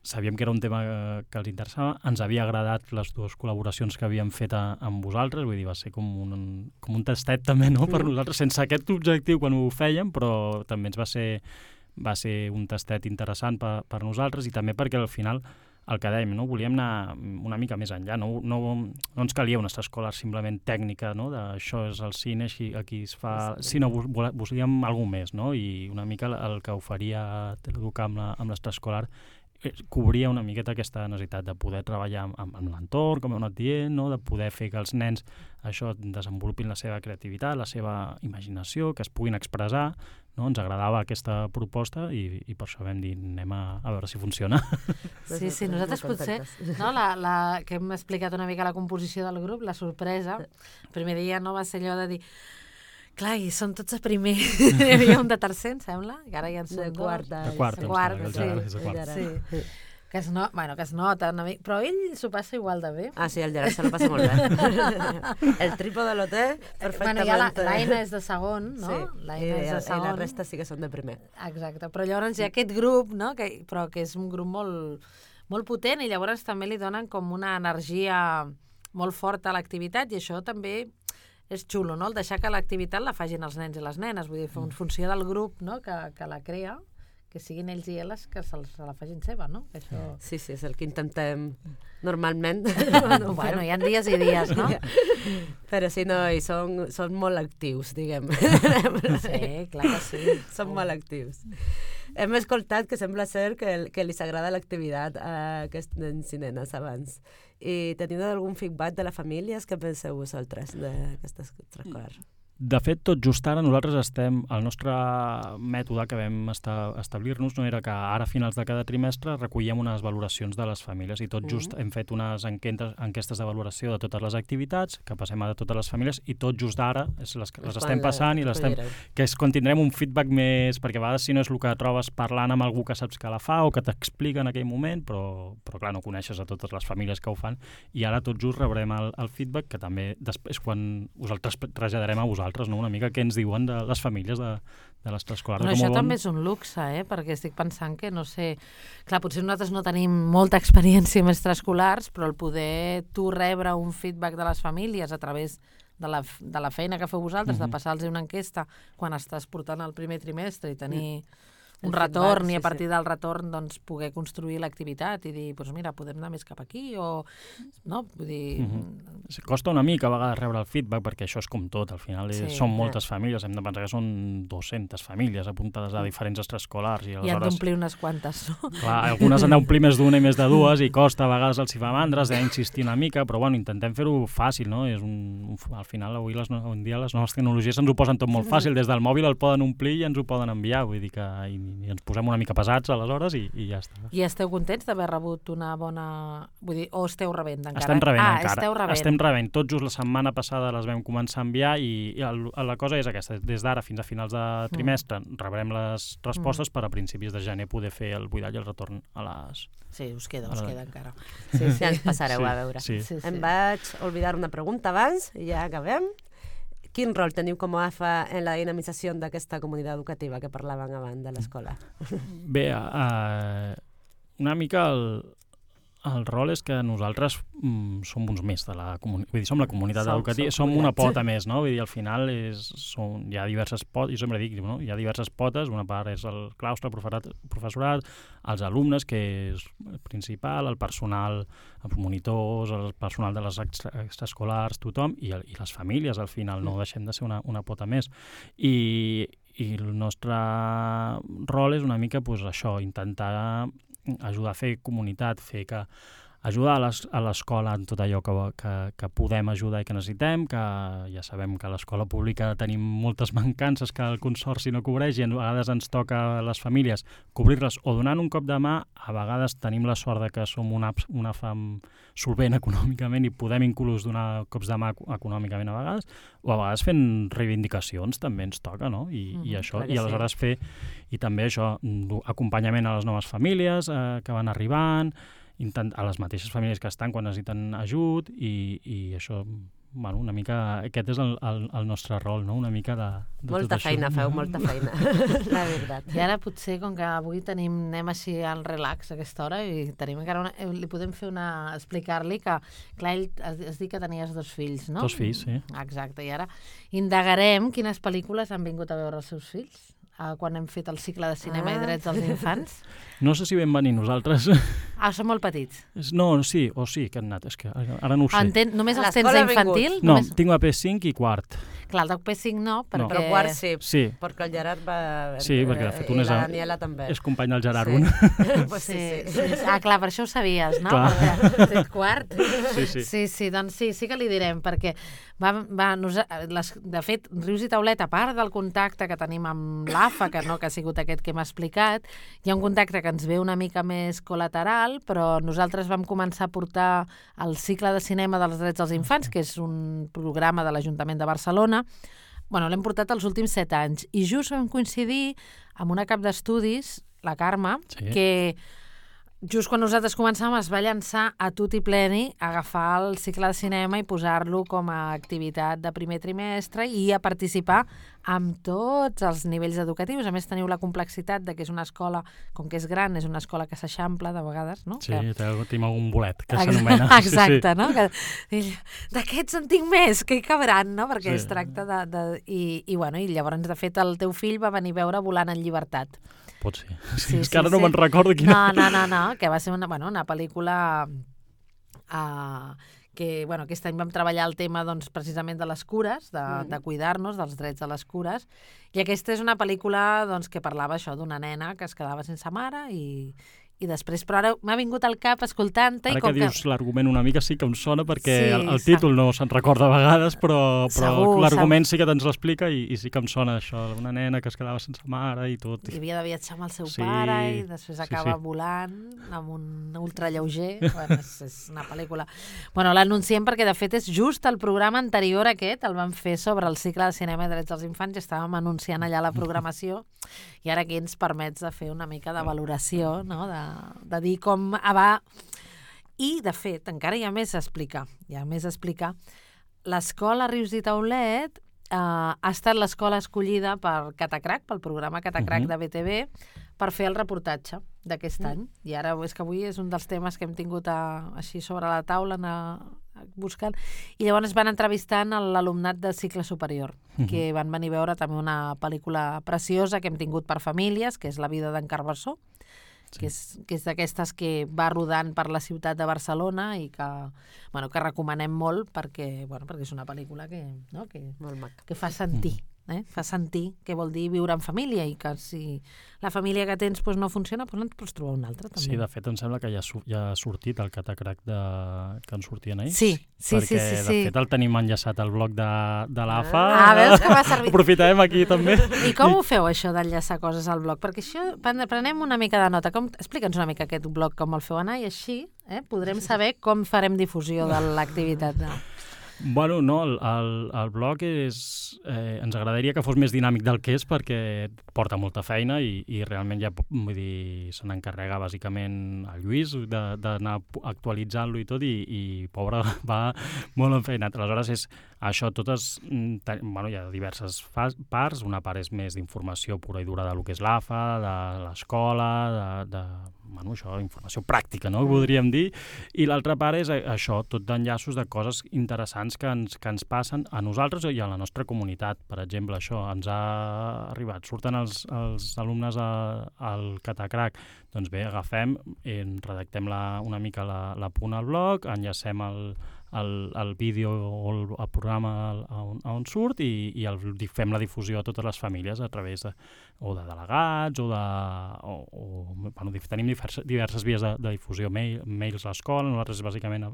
sabíem que era un tema que els interessava, ens havia agradat les dues col·laboracions que havíem fet amb vosaltres, vull dir, va ser com un tastet també, no?, per nosaltres, sense aquest objectiu quan ho fèiem, però també ens va ser un tastet interessant per nosaltres, i també perquè al final el que dèiem, no? Volíem anar una mica més enllà, no ens calia una extraescolar simplement tècnica, no? Això és el cine, aquí es fa... sinó volíem alguna més, no? I una mica el que oferia Teleeduca amb l'extraescolar cobria una miqueta aquesta necessitat de poder treballar amb l'entorn, com heu anat dient, no? De poder fer que els nens això desenvolupin la seva creativitat, la seva imaginació, que es puguin expressar, no? Ens agradava aquesta proposta i per això vam dir anem a veure si funciona. Sí, nosaltres potser, no, que hem explicat una mica la composició del grup, la sorpresa, el primer dia no va ser allò de dir clar, i són tots a primer. Hi havia un de tercer, em sembla, i ara ja en són dos. De quarta, sí. Que es nota una mica, però ell s'ho passa igual de bé. Ah, sí, el Gerard se lo passa molt bé. El trípode lo té perfectament. Bueno, ja l'Aina és de segon, no? Sí, i la resta sí que són de primer. Exacte, però llavors hi ha aquest grup, no? Però que és un grup molt potent i llavors també li donen com una energia molt forta a l'activitat i això també és xulo, no? El deixar que l'activitat la fagin els nens i les nenes, vull dir, en funció del grup, no? que la crea, que siguin ells i elles que se la fagin seva, no? Que això... Sí, és el que intentem normalment. Bueno, hi ha dies i dies, no? Però sí, no, i són molt actius, diguem. Sí, clar que sí. Són molt actius. Hem escoltat que sembla ser que li agrada l'activitat a aquests nens i nenes abans. I teniu algun feedback de les famílies? Què penseu vosaltres d'aquesta extraescolar? De fet, tot just ara nosaltres el nostre mètode que vam establir-nos no era que ara a finals de cada trimestre recollíem unes valoracions de les famílies i tot just hem fet unes enquestes de valoració de totes les activitats que passem a totes les famílies i tot just ara les estem passant i que és quan tindrem un feedback més, perquè a vegades si no és el que trobes parlant amb algú que saps que la fa o que t'explica en aquell moment, però clar, no coneixes a totes les famílies que ho fan i ara tot just rebrem el feedback que també després quan us el traslladarem a vosaltres, no? Una mica què ens diuen de les famílies de l'extraescolar. Però això també és un luxe, perquè estic pensant que, no sé, clar, potser nosaltres no tenim molta experiència amb extraescolars, però el poder tu rebre un feedback de les famílies a través de la feina que feu vosaltres, de passar-los una enquesta quan estàs portant el primer trimestre i tenir un retorn i a partir del retorn doncs poder construir l'activitat i dir, doncs mira, podem anar més cap aquí o... no? Vull dir... Costa una mica a vegades rebre el feedback perquè això és com tot, al final són moltes famílies, hem de pensar que són 200 famílies apuntades a diferents extraescolars i han d'omplir unes quantes, no? Clar, algunes han d'omplir més d'una i més de dues i costa, a vegades els hi fa mandra, has d'insistir una mica, però bueno, intentem fer-ho fàcil, no? Al final, avui en dia les noves tecnologies ens ho posen tot molt fàcil, des del mòbil el poden omplir i ens ho poden enviar, vull dir que i ens posem una mica pesats aleshores i ja està. I esteu contents d'haver rebut una bona... Vull dir, o esteu rebent encara? Estem rebent encara. Estem rebent. Tot just la setmana passada les vam començar a enviar i la cosa és aquesta. Des d'ara fins a finals de trimestre rebrem les respostes per a principis de gener poder fer el buidatge i el retorn a les... Sí, us queda encara. Sí, ens passareu a veure. Em vaig oblidar una pregunta abans i ja acabem. Quin rol teniu com a AFA en la dinamització d'aquesta comunitat educativa que parlàvem abans de l'escola? Bé, una mica el rol és que nosaltres som uns més de la comunitat, vull dir, som la comunitat educativa, som una pota més, no? Vull dir, al final hi ha diverses potes, jo sempre dic, no? Hi ha diverses potes, una part és el claustre, el professorat, els alumnes, que és el principal, el personal, els monitors, el personal de les extraescolars, tothom, i les famílies, al final, no deixem de ser una pota més. I el nostre rol és una mica això, intentar ajudar a fer comunitat, ajudar a l'escola en tot allò que podem ajudar i que necessitem, que ja sabem que a l'escola pública tenim moltes mancances que el Consorci no cobreix i a vegades ens toca a les famílies cobrir-les o donant un cop de mà, a vegades tenim la sort de que som una fam solvent econòmicament i podem inclús donar cops de mà econòmicament a vegades, o a vegades fent reivindicacions també ens toca, no? I això, i aleshores fer, i també això, acompanyament a les noves famílies que van arribant, a les mateixes famílies que estan quan necessiten ajut i això, bueno, una mica, aquest és el nostre rol, no? Una mica de molta feina, feu molta feina, la veritat. I ara potser, com que avui anem així al relax a aquesta hora i tenim encara li podem fer explicar-li que, clar, ell has dit que tenies 2 fills, no? 2 fills, sí. Exacte, i ara indagarem quines pel·lícules han vingut a veure els seus fills quan hem fet el cicle de cinema i drets dels infants. No sé si vam venir nosaltres. Són molt petits. No, sí, que han anat, és que ara no ho sé. Només els tens d'infantil? No, tinc la P5 i quart. Clar, el de P5 no, perquè... Però quart sí, perquè el Gerard va... Sí, perquè de fet un la Daniela també. És company del Gerard, un. Sí. Clar, per això ho sabies, no? Perquè quart. Sí, doncs sí que li direm, perquè de fet, Rius i Taulet, a part del contacte que tenim amb l'AFA, que ha sigut aquest que hem explicat, hi ha un contacte que ens ve una mica més col·lateral, però nosaltres vam començar a portar el cicle de cinema dels drets dels infants, que és un programa de l'Ajuntament de Barcelona. L'hem portat els últims 7 anys i just vam coincidir amb una cap d'estudis, la Carme, que just quan nosaltres començàvem es va llançar a tut i pleni a agafar el cicle de cinema i posar-lo com a activitat de primer trimestre i a participar amb tots els nivells educatius. A més, teniu la complexitat de que és una escola, com que és gran, és una escola que s'eixampla de vegades, no? Sí, tenim algun bolet, que s'anomena. Exacte, no? D'aquests en tinc més, que hi cabran, no? Perquè es tracta de... I llavors, de fet, el teu fill va venir a veure Volant en llibertat. Pot ser. És que ara no me'n recordo quina... No, que va ser una pel·lícula que aquest any vam treballar el tema precisament de les cures, de cuidar-nos, dels drets de les cures, i aquesta és una pel·lícula que parlava això d'una nena que es quedava sense mare i després, però ara m'ha vingut al cap escoltant-te... Ara que dius l'argument una mica sí que em sona, perquè el títol no se'n recorda a vegades, però l'argument sí que te'ns l'explica i sí que em sona això, una nena que es quedava sense mare i tot. I havia de viatjar amb el seu pare i després acaba volant amb un ultralleuger. És una pel·lícula... L'anunciem perquè, de fet, és just el programa anterior aquest, el vam fer sobre el cicle de cinema i drets dels infants i estàvem anunciant allà la programació i ara aquí ens permets de fer una mica de valoració, no?, de dir com va... I, de fet, encara hi ha més a explicar. L'escola Rius i Taulet ha estat l'escola escollida per Catacrac, pel programa Catacrac de BTV, per fer el reportatge d'aquest any. I ara és que avui és un dels temes que hem tingut així sobre la taula, buscant. I llavors van entrevistant l'alumnat de cicle superior, que van venir a veure també una pel·lícula preciosa que hem tingut per famílies, que és La vida d'en Carbassó, que és d'aquestes que va rodant per la ciutat de Barcelona i que recomanem molt perquè és una pel·lícula que fa sentir. Fa sentir què vol dir viure en família i que si la família que tens no funciona, no et pots trobar una altra. També. Sí, de fet, em sembla que ja ha sortit el Catacrac que en sortien ells. Sí. Perquè, de fet, el tenim enllaçat al blog de l'AFA. Veus que va servir. Aprofitarem aquí, també. I com ho feu, això, d'enllaçar coses al blog? Perquè això, prenem una mica de nota. Explica'ns una mica aquest blog, com el feu anar, i així podrem saber com farem difusió de l'activitat. Bueno, no, el blog ens agradaria que fos més dinàmic del que és perquè porta molta feina i realment ja, vull dir, se n'encarrega bàsicament el Lluís d'anar actualitzant-lo i tot i pobre, va molt enfeinat. Aleshores és això, totes, hi ha diverses parts, una part és més d'informació pura i dura del que és l'AFA, de l'escola, això, informació pràctica, no?, podríem dir, i l'altra part és això, tot d'enllaços de coses interessants que ens passen a nosaltres i a la nostra comunitat. Per exemple, això ens ha arribat, surten els alumnes al Catacrac, doncs bé, agafem, redactem una mica l'apunt al blog, enllacem el vídeo o el programa on surt i fem la difusió a totes les famílies a través de delegats tenim diverses vies de difusió, mails a l'escola, nosaltres bàsicament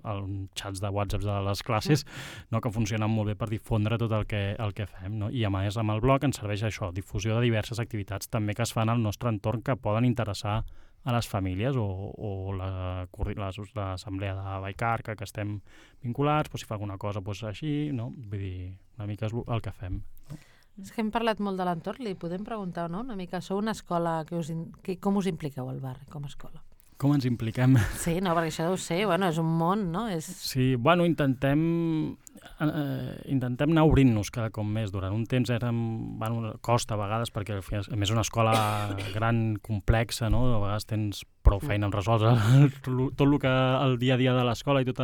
xats de WhatsApp de les classes, que funcionen molt bé per difondre tot el que fem, no? I a més amb el blog ens serveix això, difusió de diverses activitats també que es fan al nostre entorn que poden interessar a les famílies o l'assemblea de Vallcarca que estem vinculats, si fa alguna cosa així, no? Vull dir, una mica és el que fem. No? És que hem parlat molt de l'entorn, li podem preguntar, no? Una mica, sou una escola, com us impliqueu al barri com a escola? Com ens impliquem? Sí, no, perquè això deu ser, és un món, no? Sí, intentem anar obrint-nos cada cop més. Durant un temps costa a vegades, perquè a més és una escola gran, complexa, no? A vegades tens prou feina en resoldre tot el dia a dia de l'escola i tot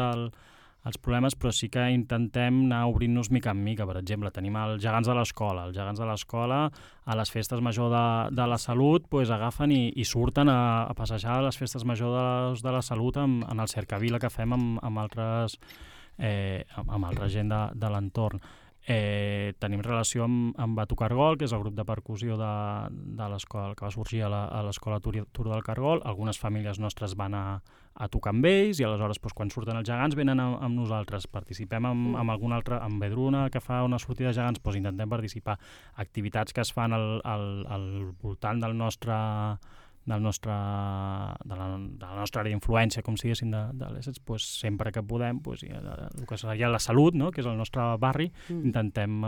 els problemes, però sí que intentem anar obrint-nos mica en mica. Per exemple, tenim els gegants de l'escola. Els gegants de l'escola, a les festes major de la Salut, pues, agafen i surten a passejar a les festes major de la Salut en el cercavila que fem amb altra gent de l'entorn. Tenim relació amb Batu Cargol, que és el grup de percussió de l'escola que va sorgir a l'escola Tur del Cargol. Algunes famílies nostres van a tocar amb ells i aleshores quan surten els gegants venen amb nosaltres. Participem amb algun altre, amb Vedruna, que fa una sortida de gegants, intentem participar. Activitats que es fan al voltant de la nostra àrea d'influència, com si diguéssim, de l'ESETS, sempre que podem, el que seria la Salut, no?, que és el nostre barri, intentem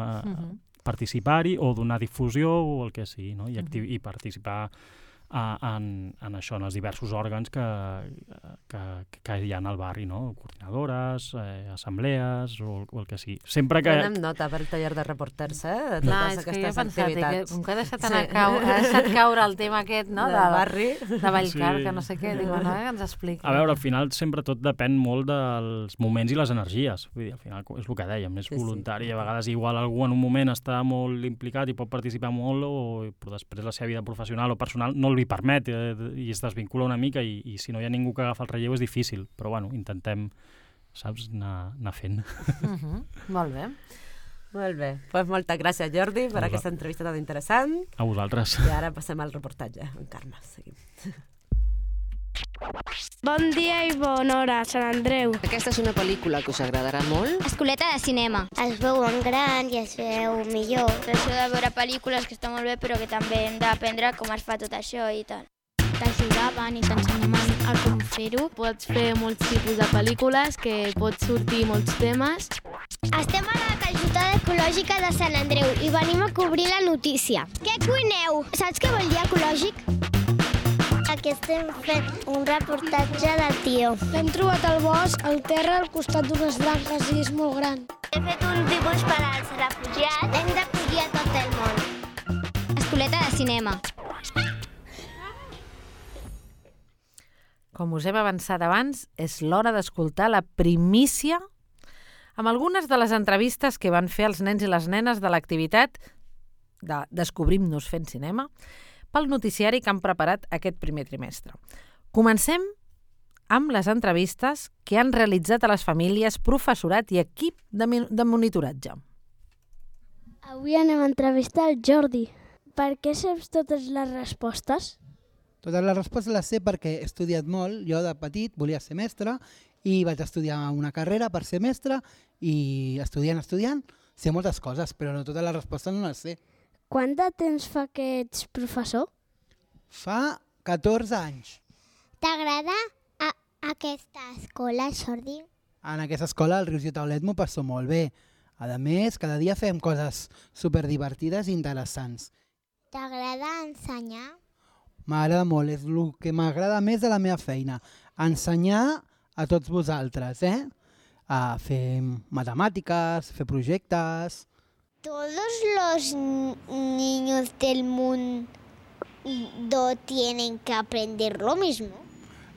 participar-hi o donar difusió o el que sigui, no?, i participar en això, en els diversos òrgans que hi ha al barri, no?, coordinadores, assemblees o el que sigui. Sempre que... Prenem nota per el taller de reporters, de totes aquestes activitats. Com que ha deixat caure el tema aquest, no?, del barri, de Vallcar, que no sé què, diu, no, que ens expliqui. A veure, al final sempre tot depèn molt dels moments i les energies. Vull dir, al final és el que dèiem, és voluntari. A vegades igual algú en un moment està molt implicat i pot participar molt, però després la seva vida professional o personal no li permet i es desvincula una mica i si no hi ha ningú que agafa el relleu és difícil, però bueno, intentem, saps, anar fent. Molt bé. Molt bé. Moltes gràcies, Jordi, per aquesta entrevista tan interessant. A vosaltres. I ara passem al reportatge amb Carme. Seguim. Bon dia i bona hora, Sant Andreu. Aquesta és una pel·lícula que us agradarà molt. Escoleta de cinema. Es veu en gran i es veu millor. Això de veure pel·lícules que està molt bé, però que també hem d'aprendre com es fa tot això i tal. T'ajudaven i t'ensenyaven a com fer-ho. Pots fer molts tipus de pel·lícules, que pots sortir molts temes. Estem a la calçotada ecològica de Sant Andreu i venim a cobrir la notícia. Què cuineu? Saps què vol dir ecològic? Aquí estem fent un reportatge del tió. L'hem trobat al bosc, al terra, al costat d'unes branques i és molt gran. He fet un dibuix per als refugiats. Hem d'acollir a tot el món. Escoleta de cinema. Com us hem avançat abans, és l'hora d'escoltar la primícia amb algunes de les entrevistes que van fer els nens i les nenes de l'activitat de Descobrim-nos fent cinema pel noticiari que han preparat aquest primer trimestre. Comencem amb les entrevistes que han realitzat a les famílies, professorat i equip de monitoratge. Avui anem a entrevistar el Jordi. Per què saps totes les respostes? Totes les respostes les sé perquè he estudiat molt. Jo de petit volia ser mestre i vaig estudiar una carrera per ser mestre i estudiant, sé moltes coses, però no totes les respostes no les sé. Quant de temps fa que ets professor? Fa 14 anys. T'agrada aquesta escola, Jordi? En aquesta escola, al Rius i Taulet, m'ho passo molt bé. A més, cada dia fem coses superdivertides i interessants. T'agrada ensenyar? M'agrada molt, és el que m'agrada més de la meva feina. Ensenyar a tots vosaltres, a fer matemàtiques, fer projectes... ¿Todos los niños del mundo tienen que aprender lo mismo?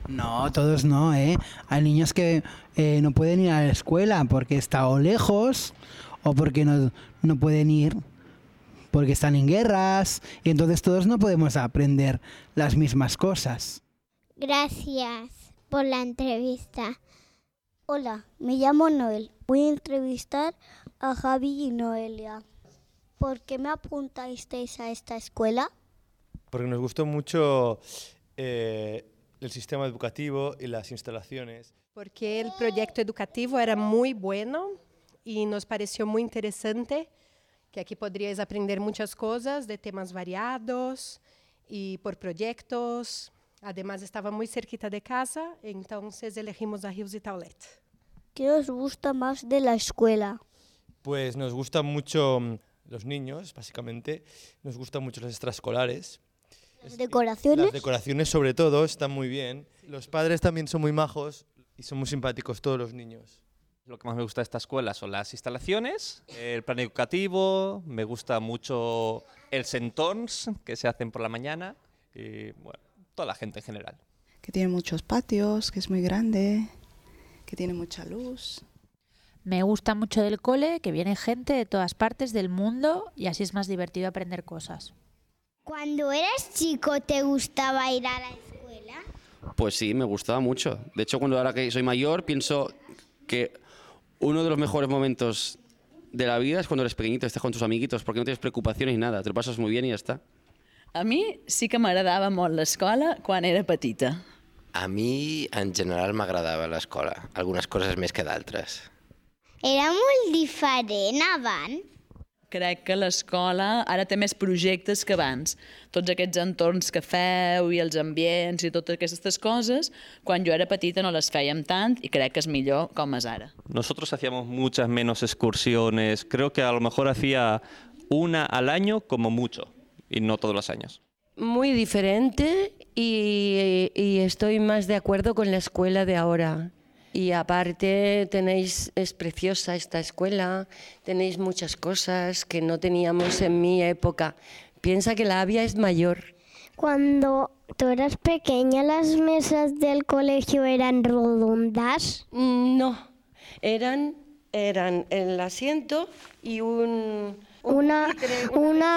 No, todos no, Hay niños que no pueden ir a la escuela porque está o lejos o porque no pueden ir porque están en guerras y entonces todos no podemos aprender las mismas cosas. Gracias por la entrevista. Hola, me llamo Noel. Voy a entrevistar a Javi y Noelia. ¿Por qué me apuntasteis a esta escuela? Porque nos gustó mucho el sistema educativo y las instalaciones. Porque el proyecto educativo era muy bueno y nos pareció muy interesante, que aquí podríais aprender muchas cosas de temas variados y por proyectos. Además estaba muy cerquita de casa, entonces elegimos a Rius y Taulet. ¿Qué os gusta más de la escuela? Pues nos gustan mucho los niños, básicamente. Nos gustan mucho las extraescolares. ¿Las decoraciones? Las decoraciones sobre todo están muy bien. Los padres también son muy majos y son muy simpáticos todos los niños. Lo que más me gusta de esta escuela son las instalaciones, el plan educativo, me gusta mucho el sentons que se hacen por la mañana y bueno, toda la gente en general. Que tiene muchos patios, que es muy grande, que tiene mucha luz. Me gusta mucho del cole, que viene gente de todas partes del mundo y así es más divertido aprender cosas. Cuando eras chico, ¿te gustaba ir a la escuela? Pues sí, me gustaba mucho. De hecho, ahora que soy mayor, pienso que uno de los mejores momentos de la vida es cuando eres pequeñito, estás con tus amiguitos, porque no tienes preocupaciones ni nada, te lo pasas muy bien y ya está. A mi sí que m'agradava molt l'escola quan era petita. A mi, en general, m'agradava l'escola. Algunes coses més que d'altres. Era molt diferent abans. Crec que l'escola ara té més projectes que abans. Tots aquests entorns que feu i els ambients i totes aquestes coses, quan jo era petita no les fèiem tant i crec que és millor com és ara. Nosotros hacíamos muchas menos excursiones. Creo que a lo mejor hacía una al año como mucho y no todos los años. Muy diferente y estoy más de acuerdo con la escuela de ahora. Y aparte es preciosa esta escuela, tenéis muchas cosas que no teníamos en mi época. Piensa que la Avia es mayor. Cuando tú eras pequeña, ¿las mesas del colegio eran redondas? No, eran el asiento y una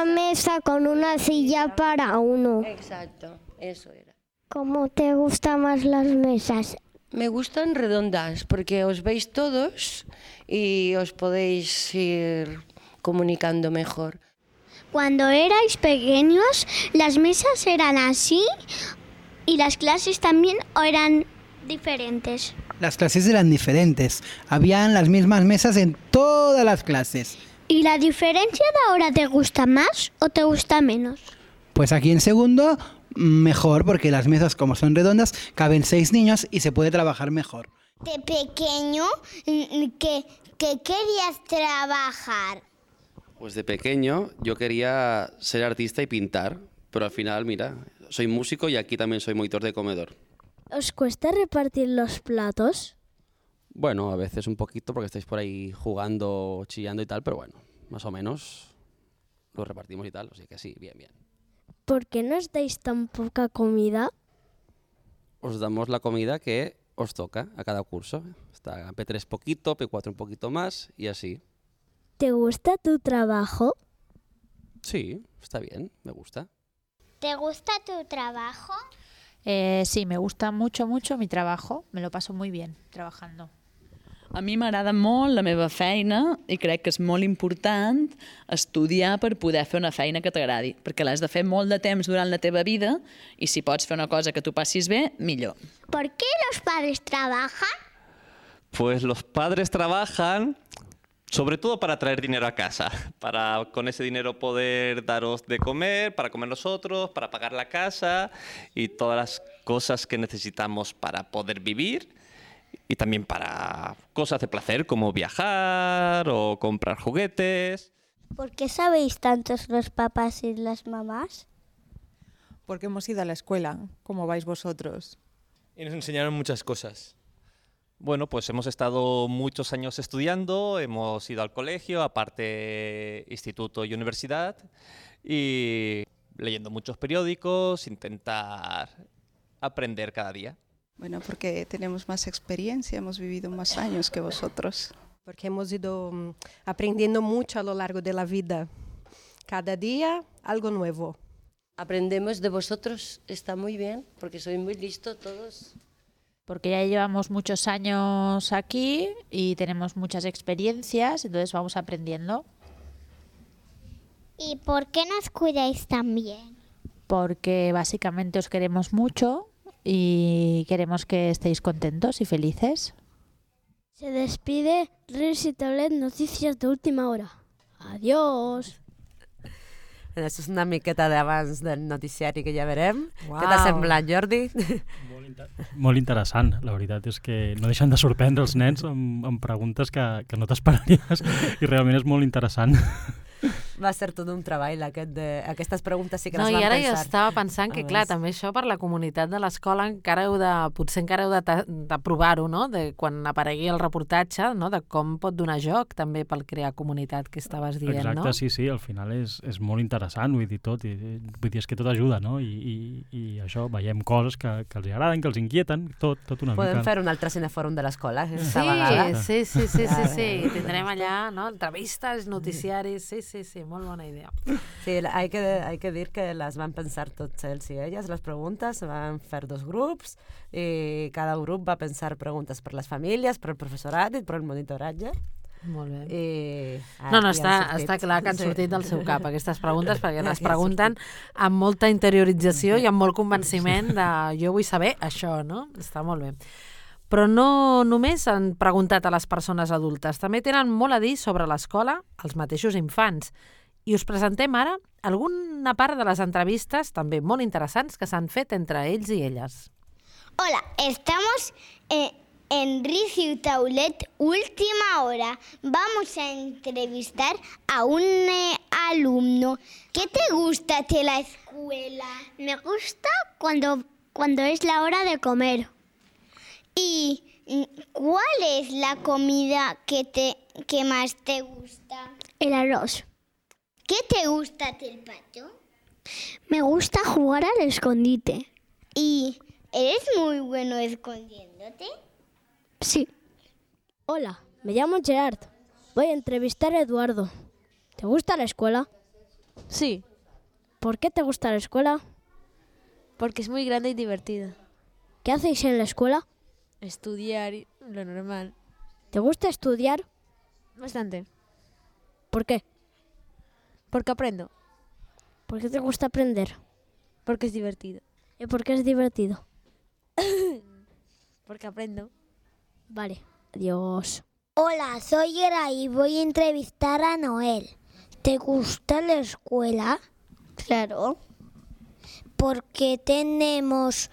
mesa con una silla para uno. Exacto, eso era. ¿Cómo te gustan más las mesas? Me gustan redondas porque os veis todos y os podéis ir comunicando mejor. Cuando erais pequeños, ¿las mesas eran así y las clases también eran diferentes? Las clases eran diferentes. Habían las mismas mesas en todas las clases. ¿Y la diferencia de ahora te gusta más o te gusta menos? Pues aquí en segundo, mejor, porque las mesas, como son redondas, caben 6 niños y se puede trabajar mejor. De pequeño, ¿qué querías trabajar? Pues de pequeño yo quería ser artista y pintar, pero al final, mira, soy músico y aquí también soy monitor de comedor. ¿Os cuesta repartir los platos? Bueno, a veces un poquito porque estáis por ahí jugando, chillando y tal, pero bueno, más o menos lo repartimos y tal, así que sí, bien, bien. ¿Por qué nos dais tan poca comida? Os damos la comida que os toca a cada curso. Está P3 poquito, P4 un poquito más y así. ¿Te gusta tu trabajo? Sí, está bien, me gusta. ¿Te gusta tu trabajo? Sí, me gusta mucho, mucho mi trabajo. Me lo paso muy bien trabajando. A mi m'agrada molt la meva feina i crec que és molt important estudiar per poder fer una feina que t'agradi, perquè l'has de fer molt de temps durant la teva vida i si pots fer una cosa que tu passis bé, millor. ¿Por qué los padres trabajan? Pues los padres trabajan sobre todo para traer dinero a casa, para con ese dinero poder daros de comer, para comer nosotros, para pagar la casa y todas las cosas que necesitamos para poder vivir. Y también para cosas de placer como viajar o comprar juguetes. ¿Por qué sabéis tantos los papás y las mamás? Porque hemos ido a la escuela, como vais vosotros. Y nos enseñaron muchas cosas. Bueno, pues hemos estado muchos años estudiando, hemos ido al colegio, aparte instituto y universidad, y leyendo muchos periódicos, intentar aprender cada día. Bueno, porque tenemos más experiencia, hemos vivido más años que vosotros. Porque hemos ido aprendiendo mucho a lo largo de la vida. Cada día algo nuevo. Aprendemos de vosotros, está muy bien, porque sois muy listos todos. Porque ya llevamos muchos años aquí y tenemos muchas experiencias, entonces vamos aprendiendo. ¿Y por qué nos cuidáis tan bien? Porque básicamente os queremos mucho y queremos que estéis contentos y felices. Se despide Rius i Taulet, Notícies d'Última Hora. Adiós! Això és una miqueta d'abans del noticiari que ja verem. Uau. Què t'ha semblat, Jordi? Molt interessant, la veritat és que no deixen de sorprendre els nens amb preguntes que no t'esperaries i realment és molt interessant. va ser tot un treball, aquestes preguntes sí que les No, vam i ara pensar. jo estava pensant que, clar, abans. també això per la comunitat de l'escola potser encara heu de provar-ho, no? De quan aparegui el reportatge, no? De com pot donar joc també pel crear comunitat que estaves dient, Exacte, no? sí, al final és molt interessant, vull dir, tot, vull dir, és que tot ajuda, no? I això, veiem coses que els agraden, que els inquieten, tot una mica. Podem fer un altre cinefòrum de l'escola, aquesta Sí, vegada. sí. Tindrem allà, no? Entrevistes, noticiaris, sí, molt bona idea. Sí, hay que dir que les van pensar tots ells i elles, les preguntes, van fer 2 grups i cada grup va pensar preguntes per les famílies, per el professorat i per el monitoratge. Molt bé. I No, està clar que han sortit del seu cap aquestes preguntes, perquè les pregunten amb molta interiorització i amb molt convenciment de jo vull saber això, no? Està molt bé. Però no només han preguntat a les persones adultes, també tenen molt a dir sobre l'escola els mateixos infants. I us presentem ara alguna part de les entrevistes, també molt interessants, que s'han fet entre ells i elles. Hola, estamos en Riciu Taulet, última hora. Vamos a entrevistar a un alumno. ¿Qué te gusta de la escuela? Me gusta cuando es la hora de comer. ¿Y cuál es la comida que más te gusta? El arroz. ¿Qué te gusta del patio? Me gusta jugar al escondite. ¿Y eres muy bueno escondiéndote? Sí. Hola, me llamo Gerard. Voy a entrevistar a Eduardo. ¿Te gusta la escuela? Sí, ¿Por qué te gusta la escuela? porque es muy grande y divertida. ¿Qué hacéis en la escuela? Estudiar, lo normal. ¿Te gusta estudiar? Bastante. ¿Por qué? Porque aprendo. ¿Por qué te gusta aprender? Porque es divertido. ¿Y por qué es divertido? Porque aprendo. Vale, adiós. Hola, soy Yera y voy a entrevistar a Noel. ¿Te gusta la escuela? Claro. ¿Por qué tenemos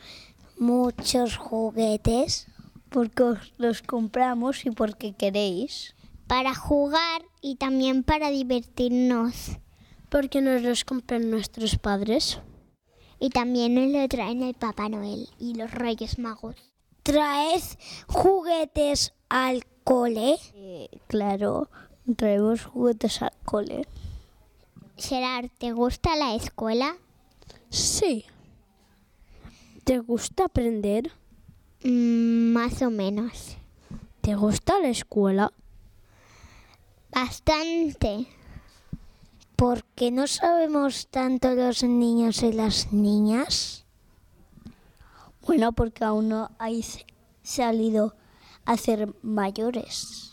muchos juguetes? Porque os los compramos y porque queréis. Para jugar y también para divertirnos. Porque nos los compran nuestros padres. Y también nos lo traen el Papá Noel y los Reyes Magos. ¿Traes juguetes al cole? Claro, traemos juguetes al cole. Gerard, ¿te gusta la escuela? Sí. ¿Te gusta aprender? Más o menos. ¿Te gusta la escuela? Bastante. ¿Por qué no sabemos tanto los niños y las niñas? Bueno, porque aún no hay salido a ser mayores.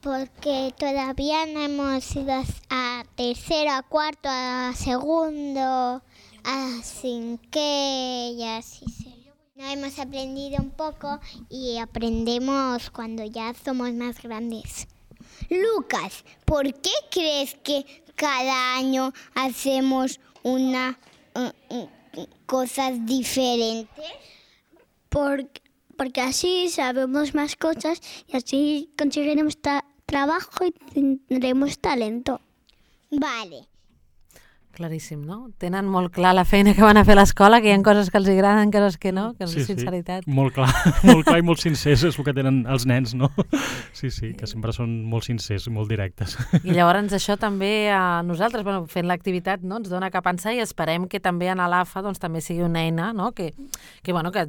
Porque todavía no hemos ido a tercero, a cuarto, a segundo, así que ya sí sé. No hemos aprendido un poco y aprendemos cuando ya somos más grandes. Lucas, ¿por qué crees que cada año hacemos cosas diferentes? Porque así sabemos más cosas y así conseguiremos trabajo y tendremos talento. Vale. Claríssim, no? Tenen molt clar la feina que van a fer a l'escola, que hi ha coses que els agraden, coses que no, que és sinceritat. Sí, molt clar i molt sincers és el que tenen els nens, no? Sí, que sempre són molt sincers i molt directes. I llavors això també a nosaltres, fent l'activitat, no, ens dona que pensar i esperem que també en l'AFA doncs, també sigui una eina, no? que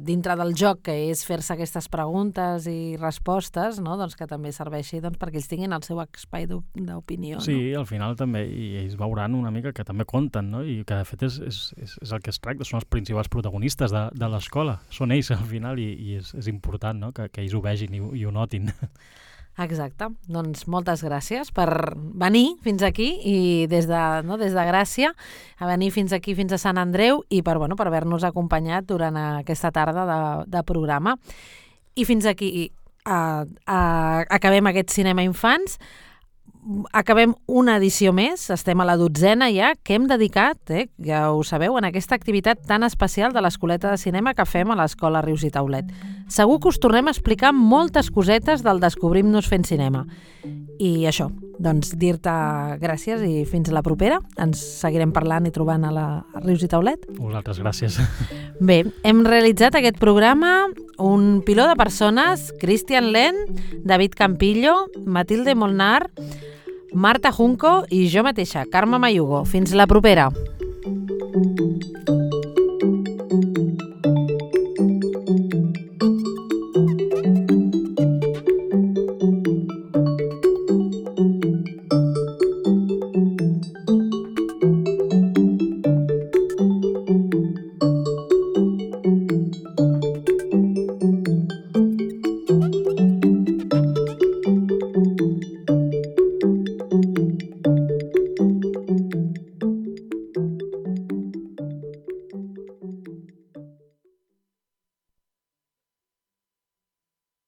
dintre del joc, que és fer-se aquestes preguntes i respostes, no? doncs que també serveixi perquè ells tinguin el seu espai d'opinió. Sí, al final també, i ells veuran una mica que també compten, no? I que de fet és el que es tracta, són els principals protagonistes de l'escola, són ells al final i és important, no? que ells ho vegin i ho notin. Exacte, doncs moltes gràcies per venir fins aquí i des de Gràcia a venir fins aquí, fins a Sant Andreu i per haver-nos acompanyat durant aquesta tarda de programa. I fins aquí acabem aquest Cinema Infants. acabem una edició més, estem a la 12ª ja, que hem dedicat, ja ho sabeu, en aquesta activitat tan especial de l'Escoleta de Cinema que fem a l'Escola Rius i Taulet. Segur que us tornem a explicar moltes cosetes del Descobrim-nos fent cinema. I això, doncs dir-te gràcies i fins a la propera. Ens seguirem parlant i trobant a la Rius i Taulet. Vosaltres, gràcies. Bé, hem realitzat aquest programa un piló de persones, Cristian Len, David Campillo, Matilde Molnar, Marta Junco i jo mateixa, Carme Mayugo. Fins la propera.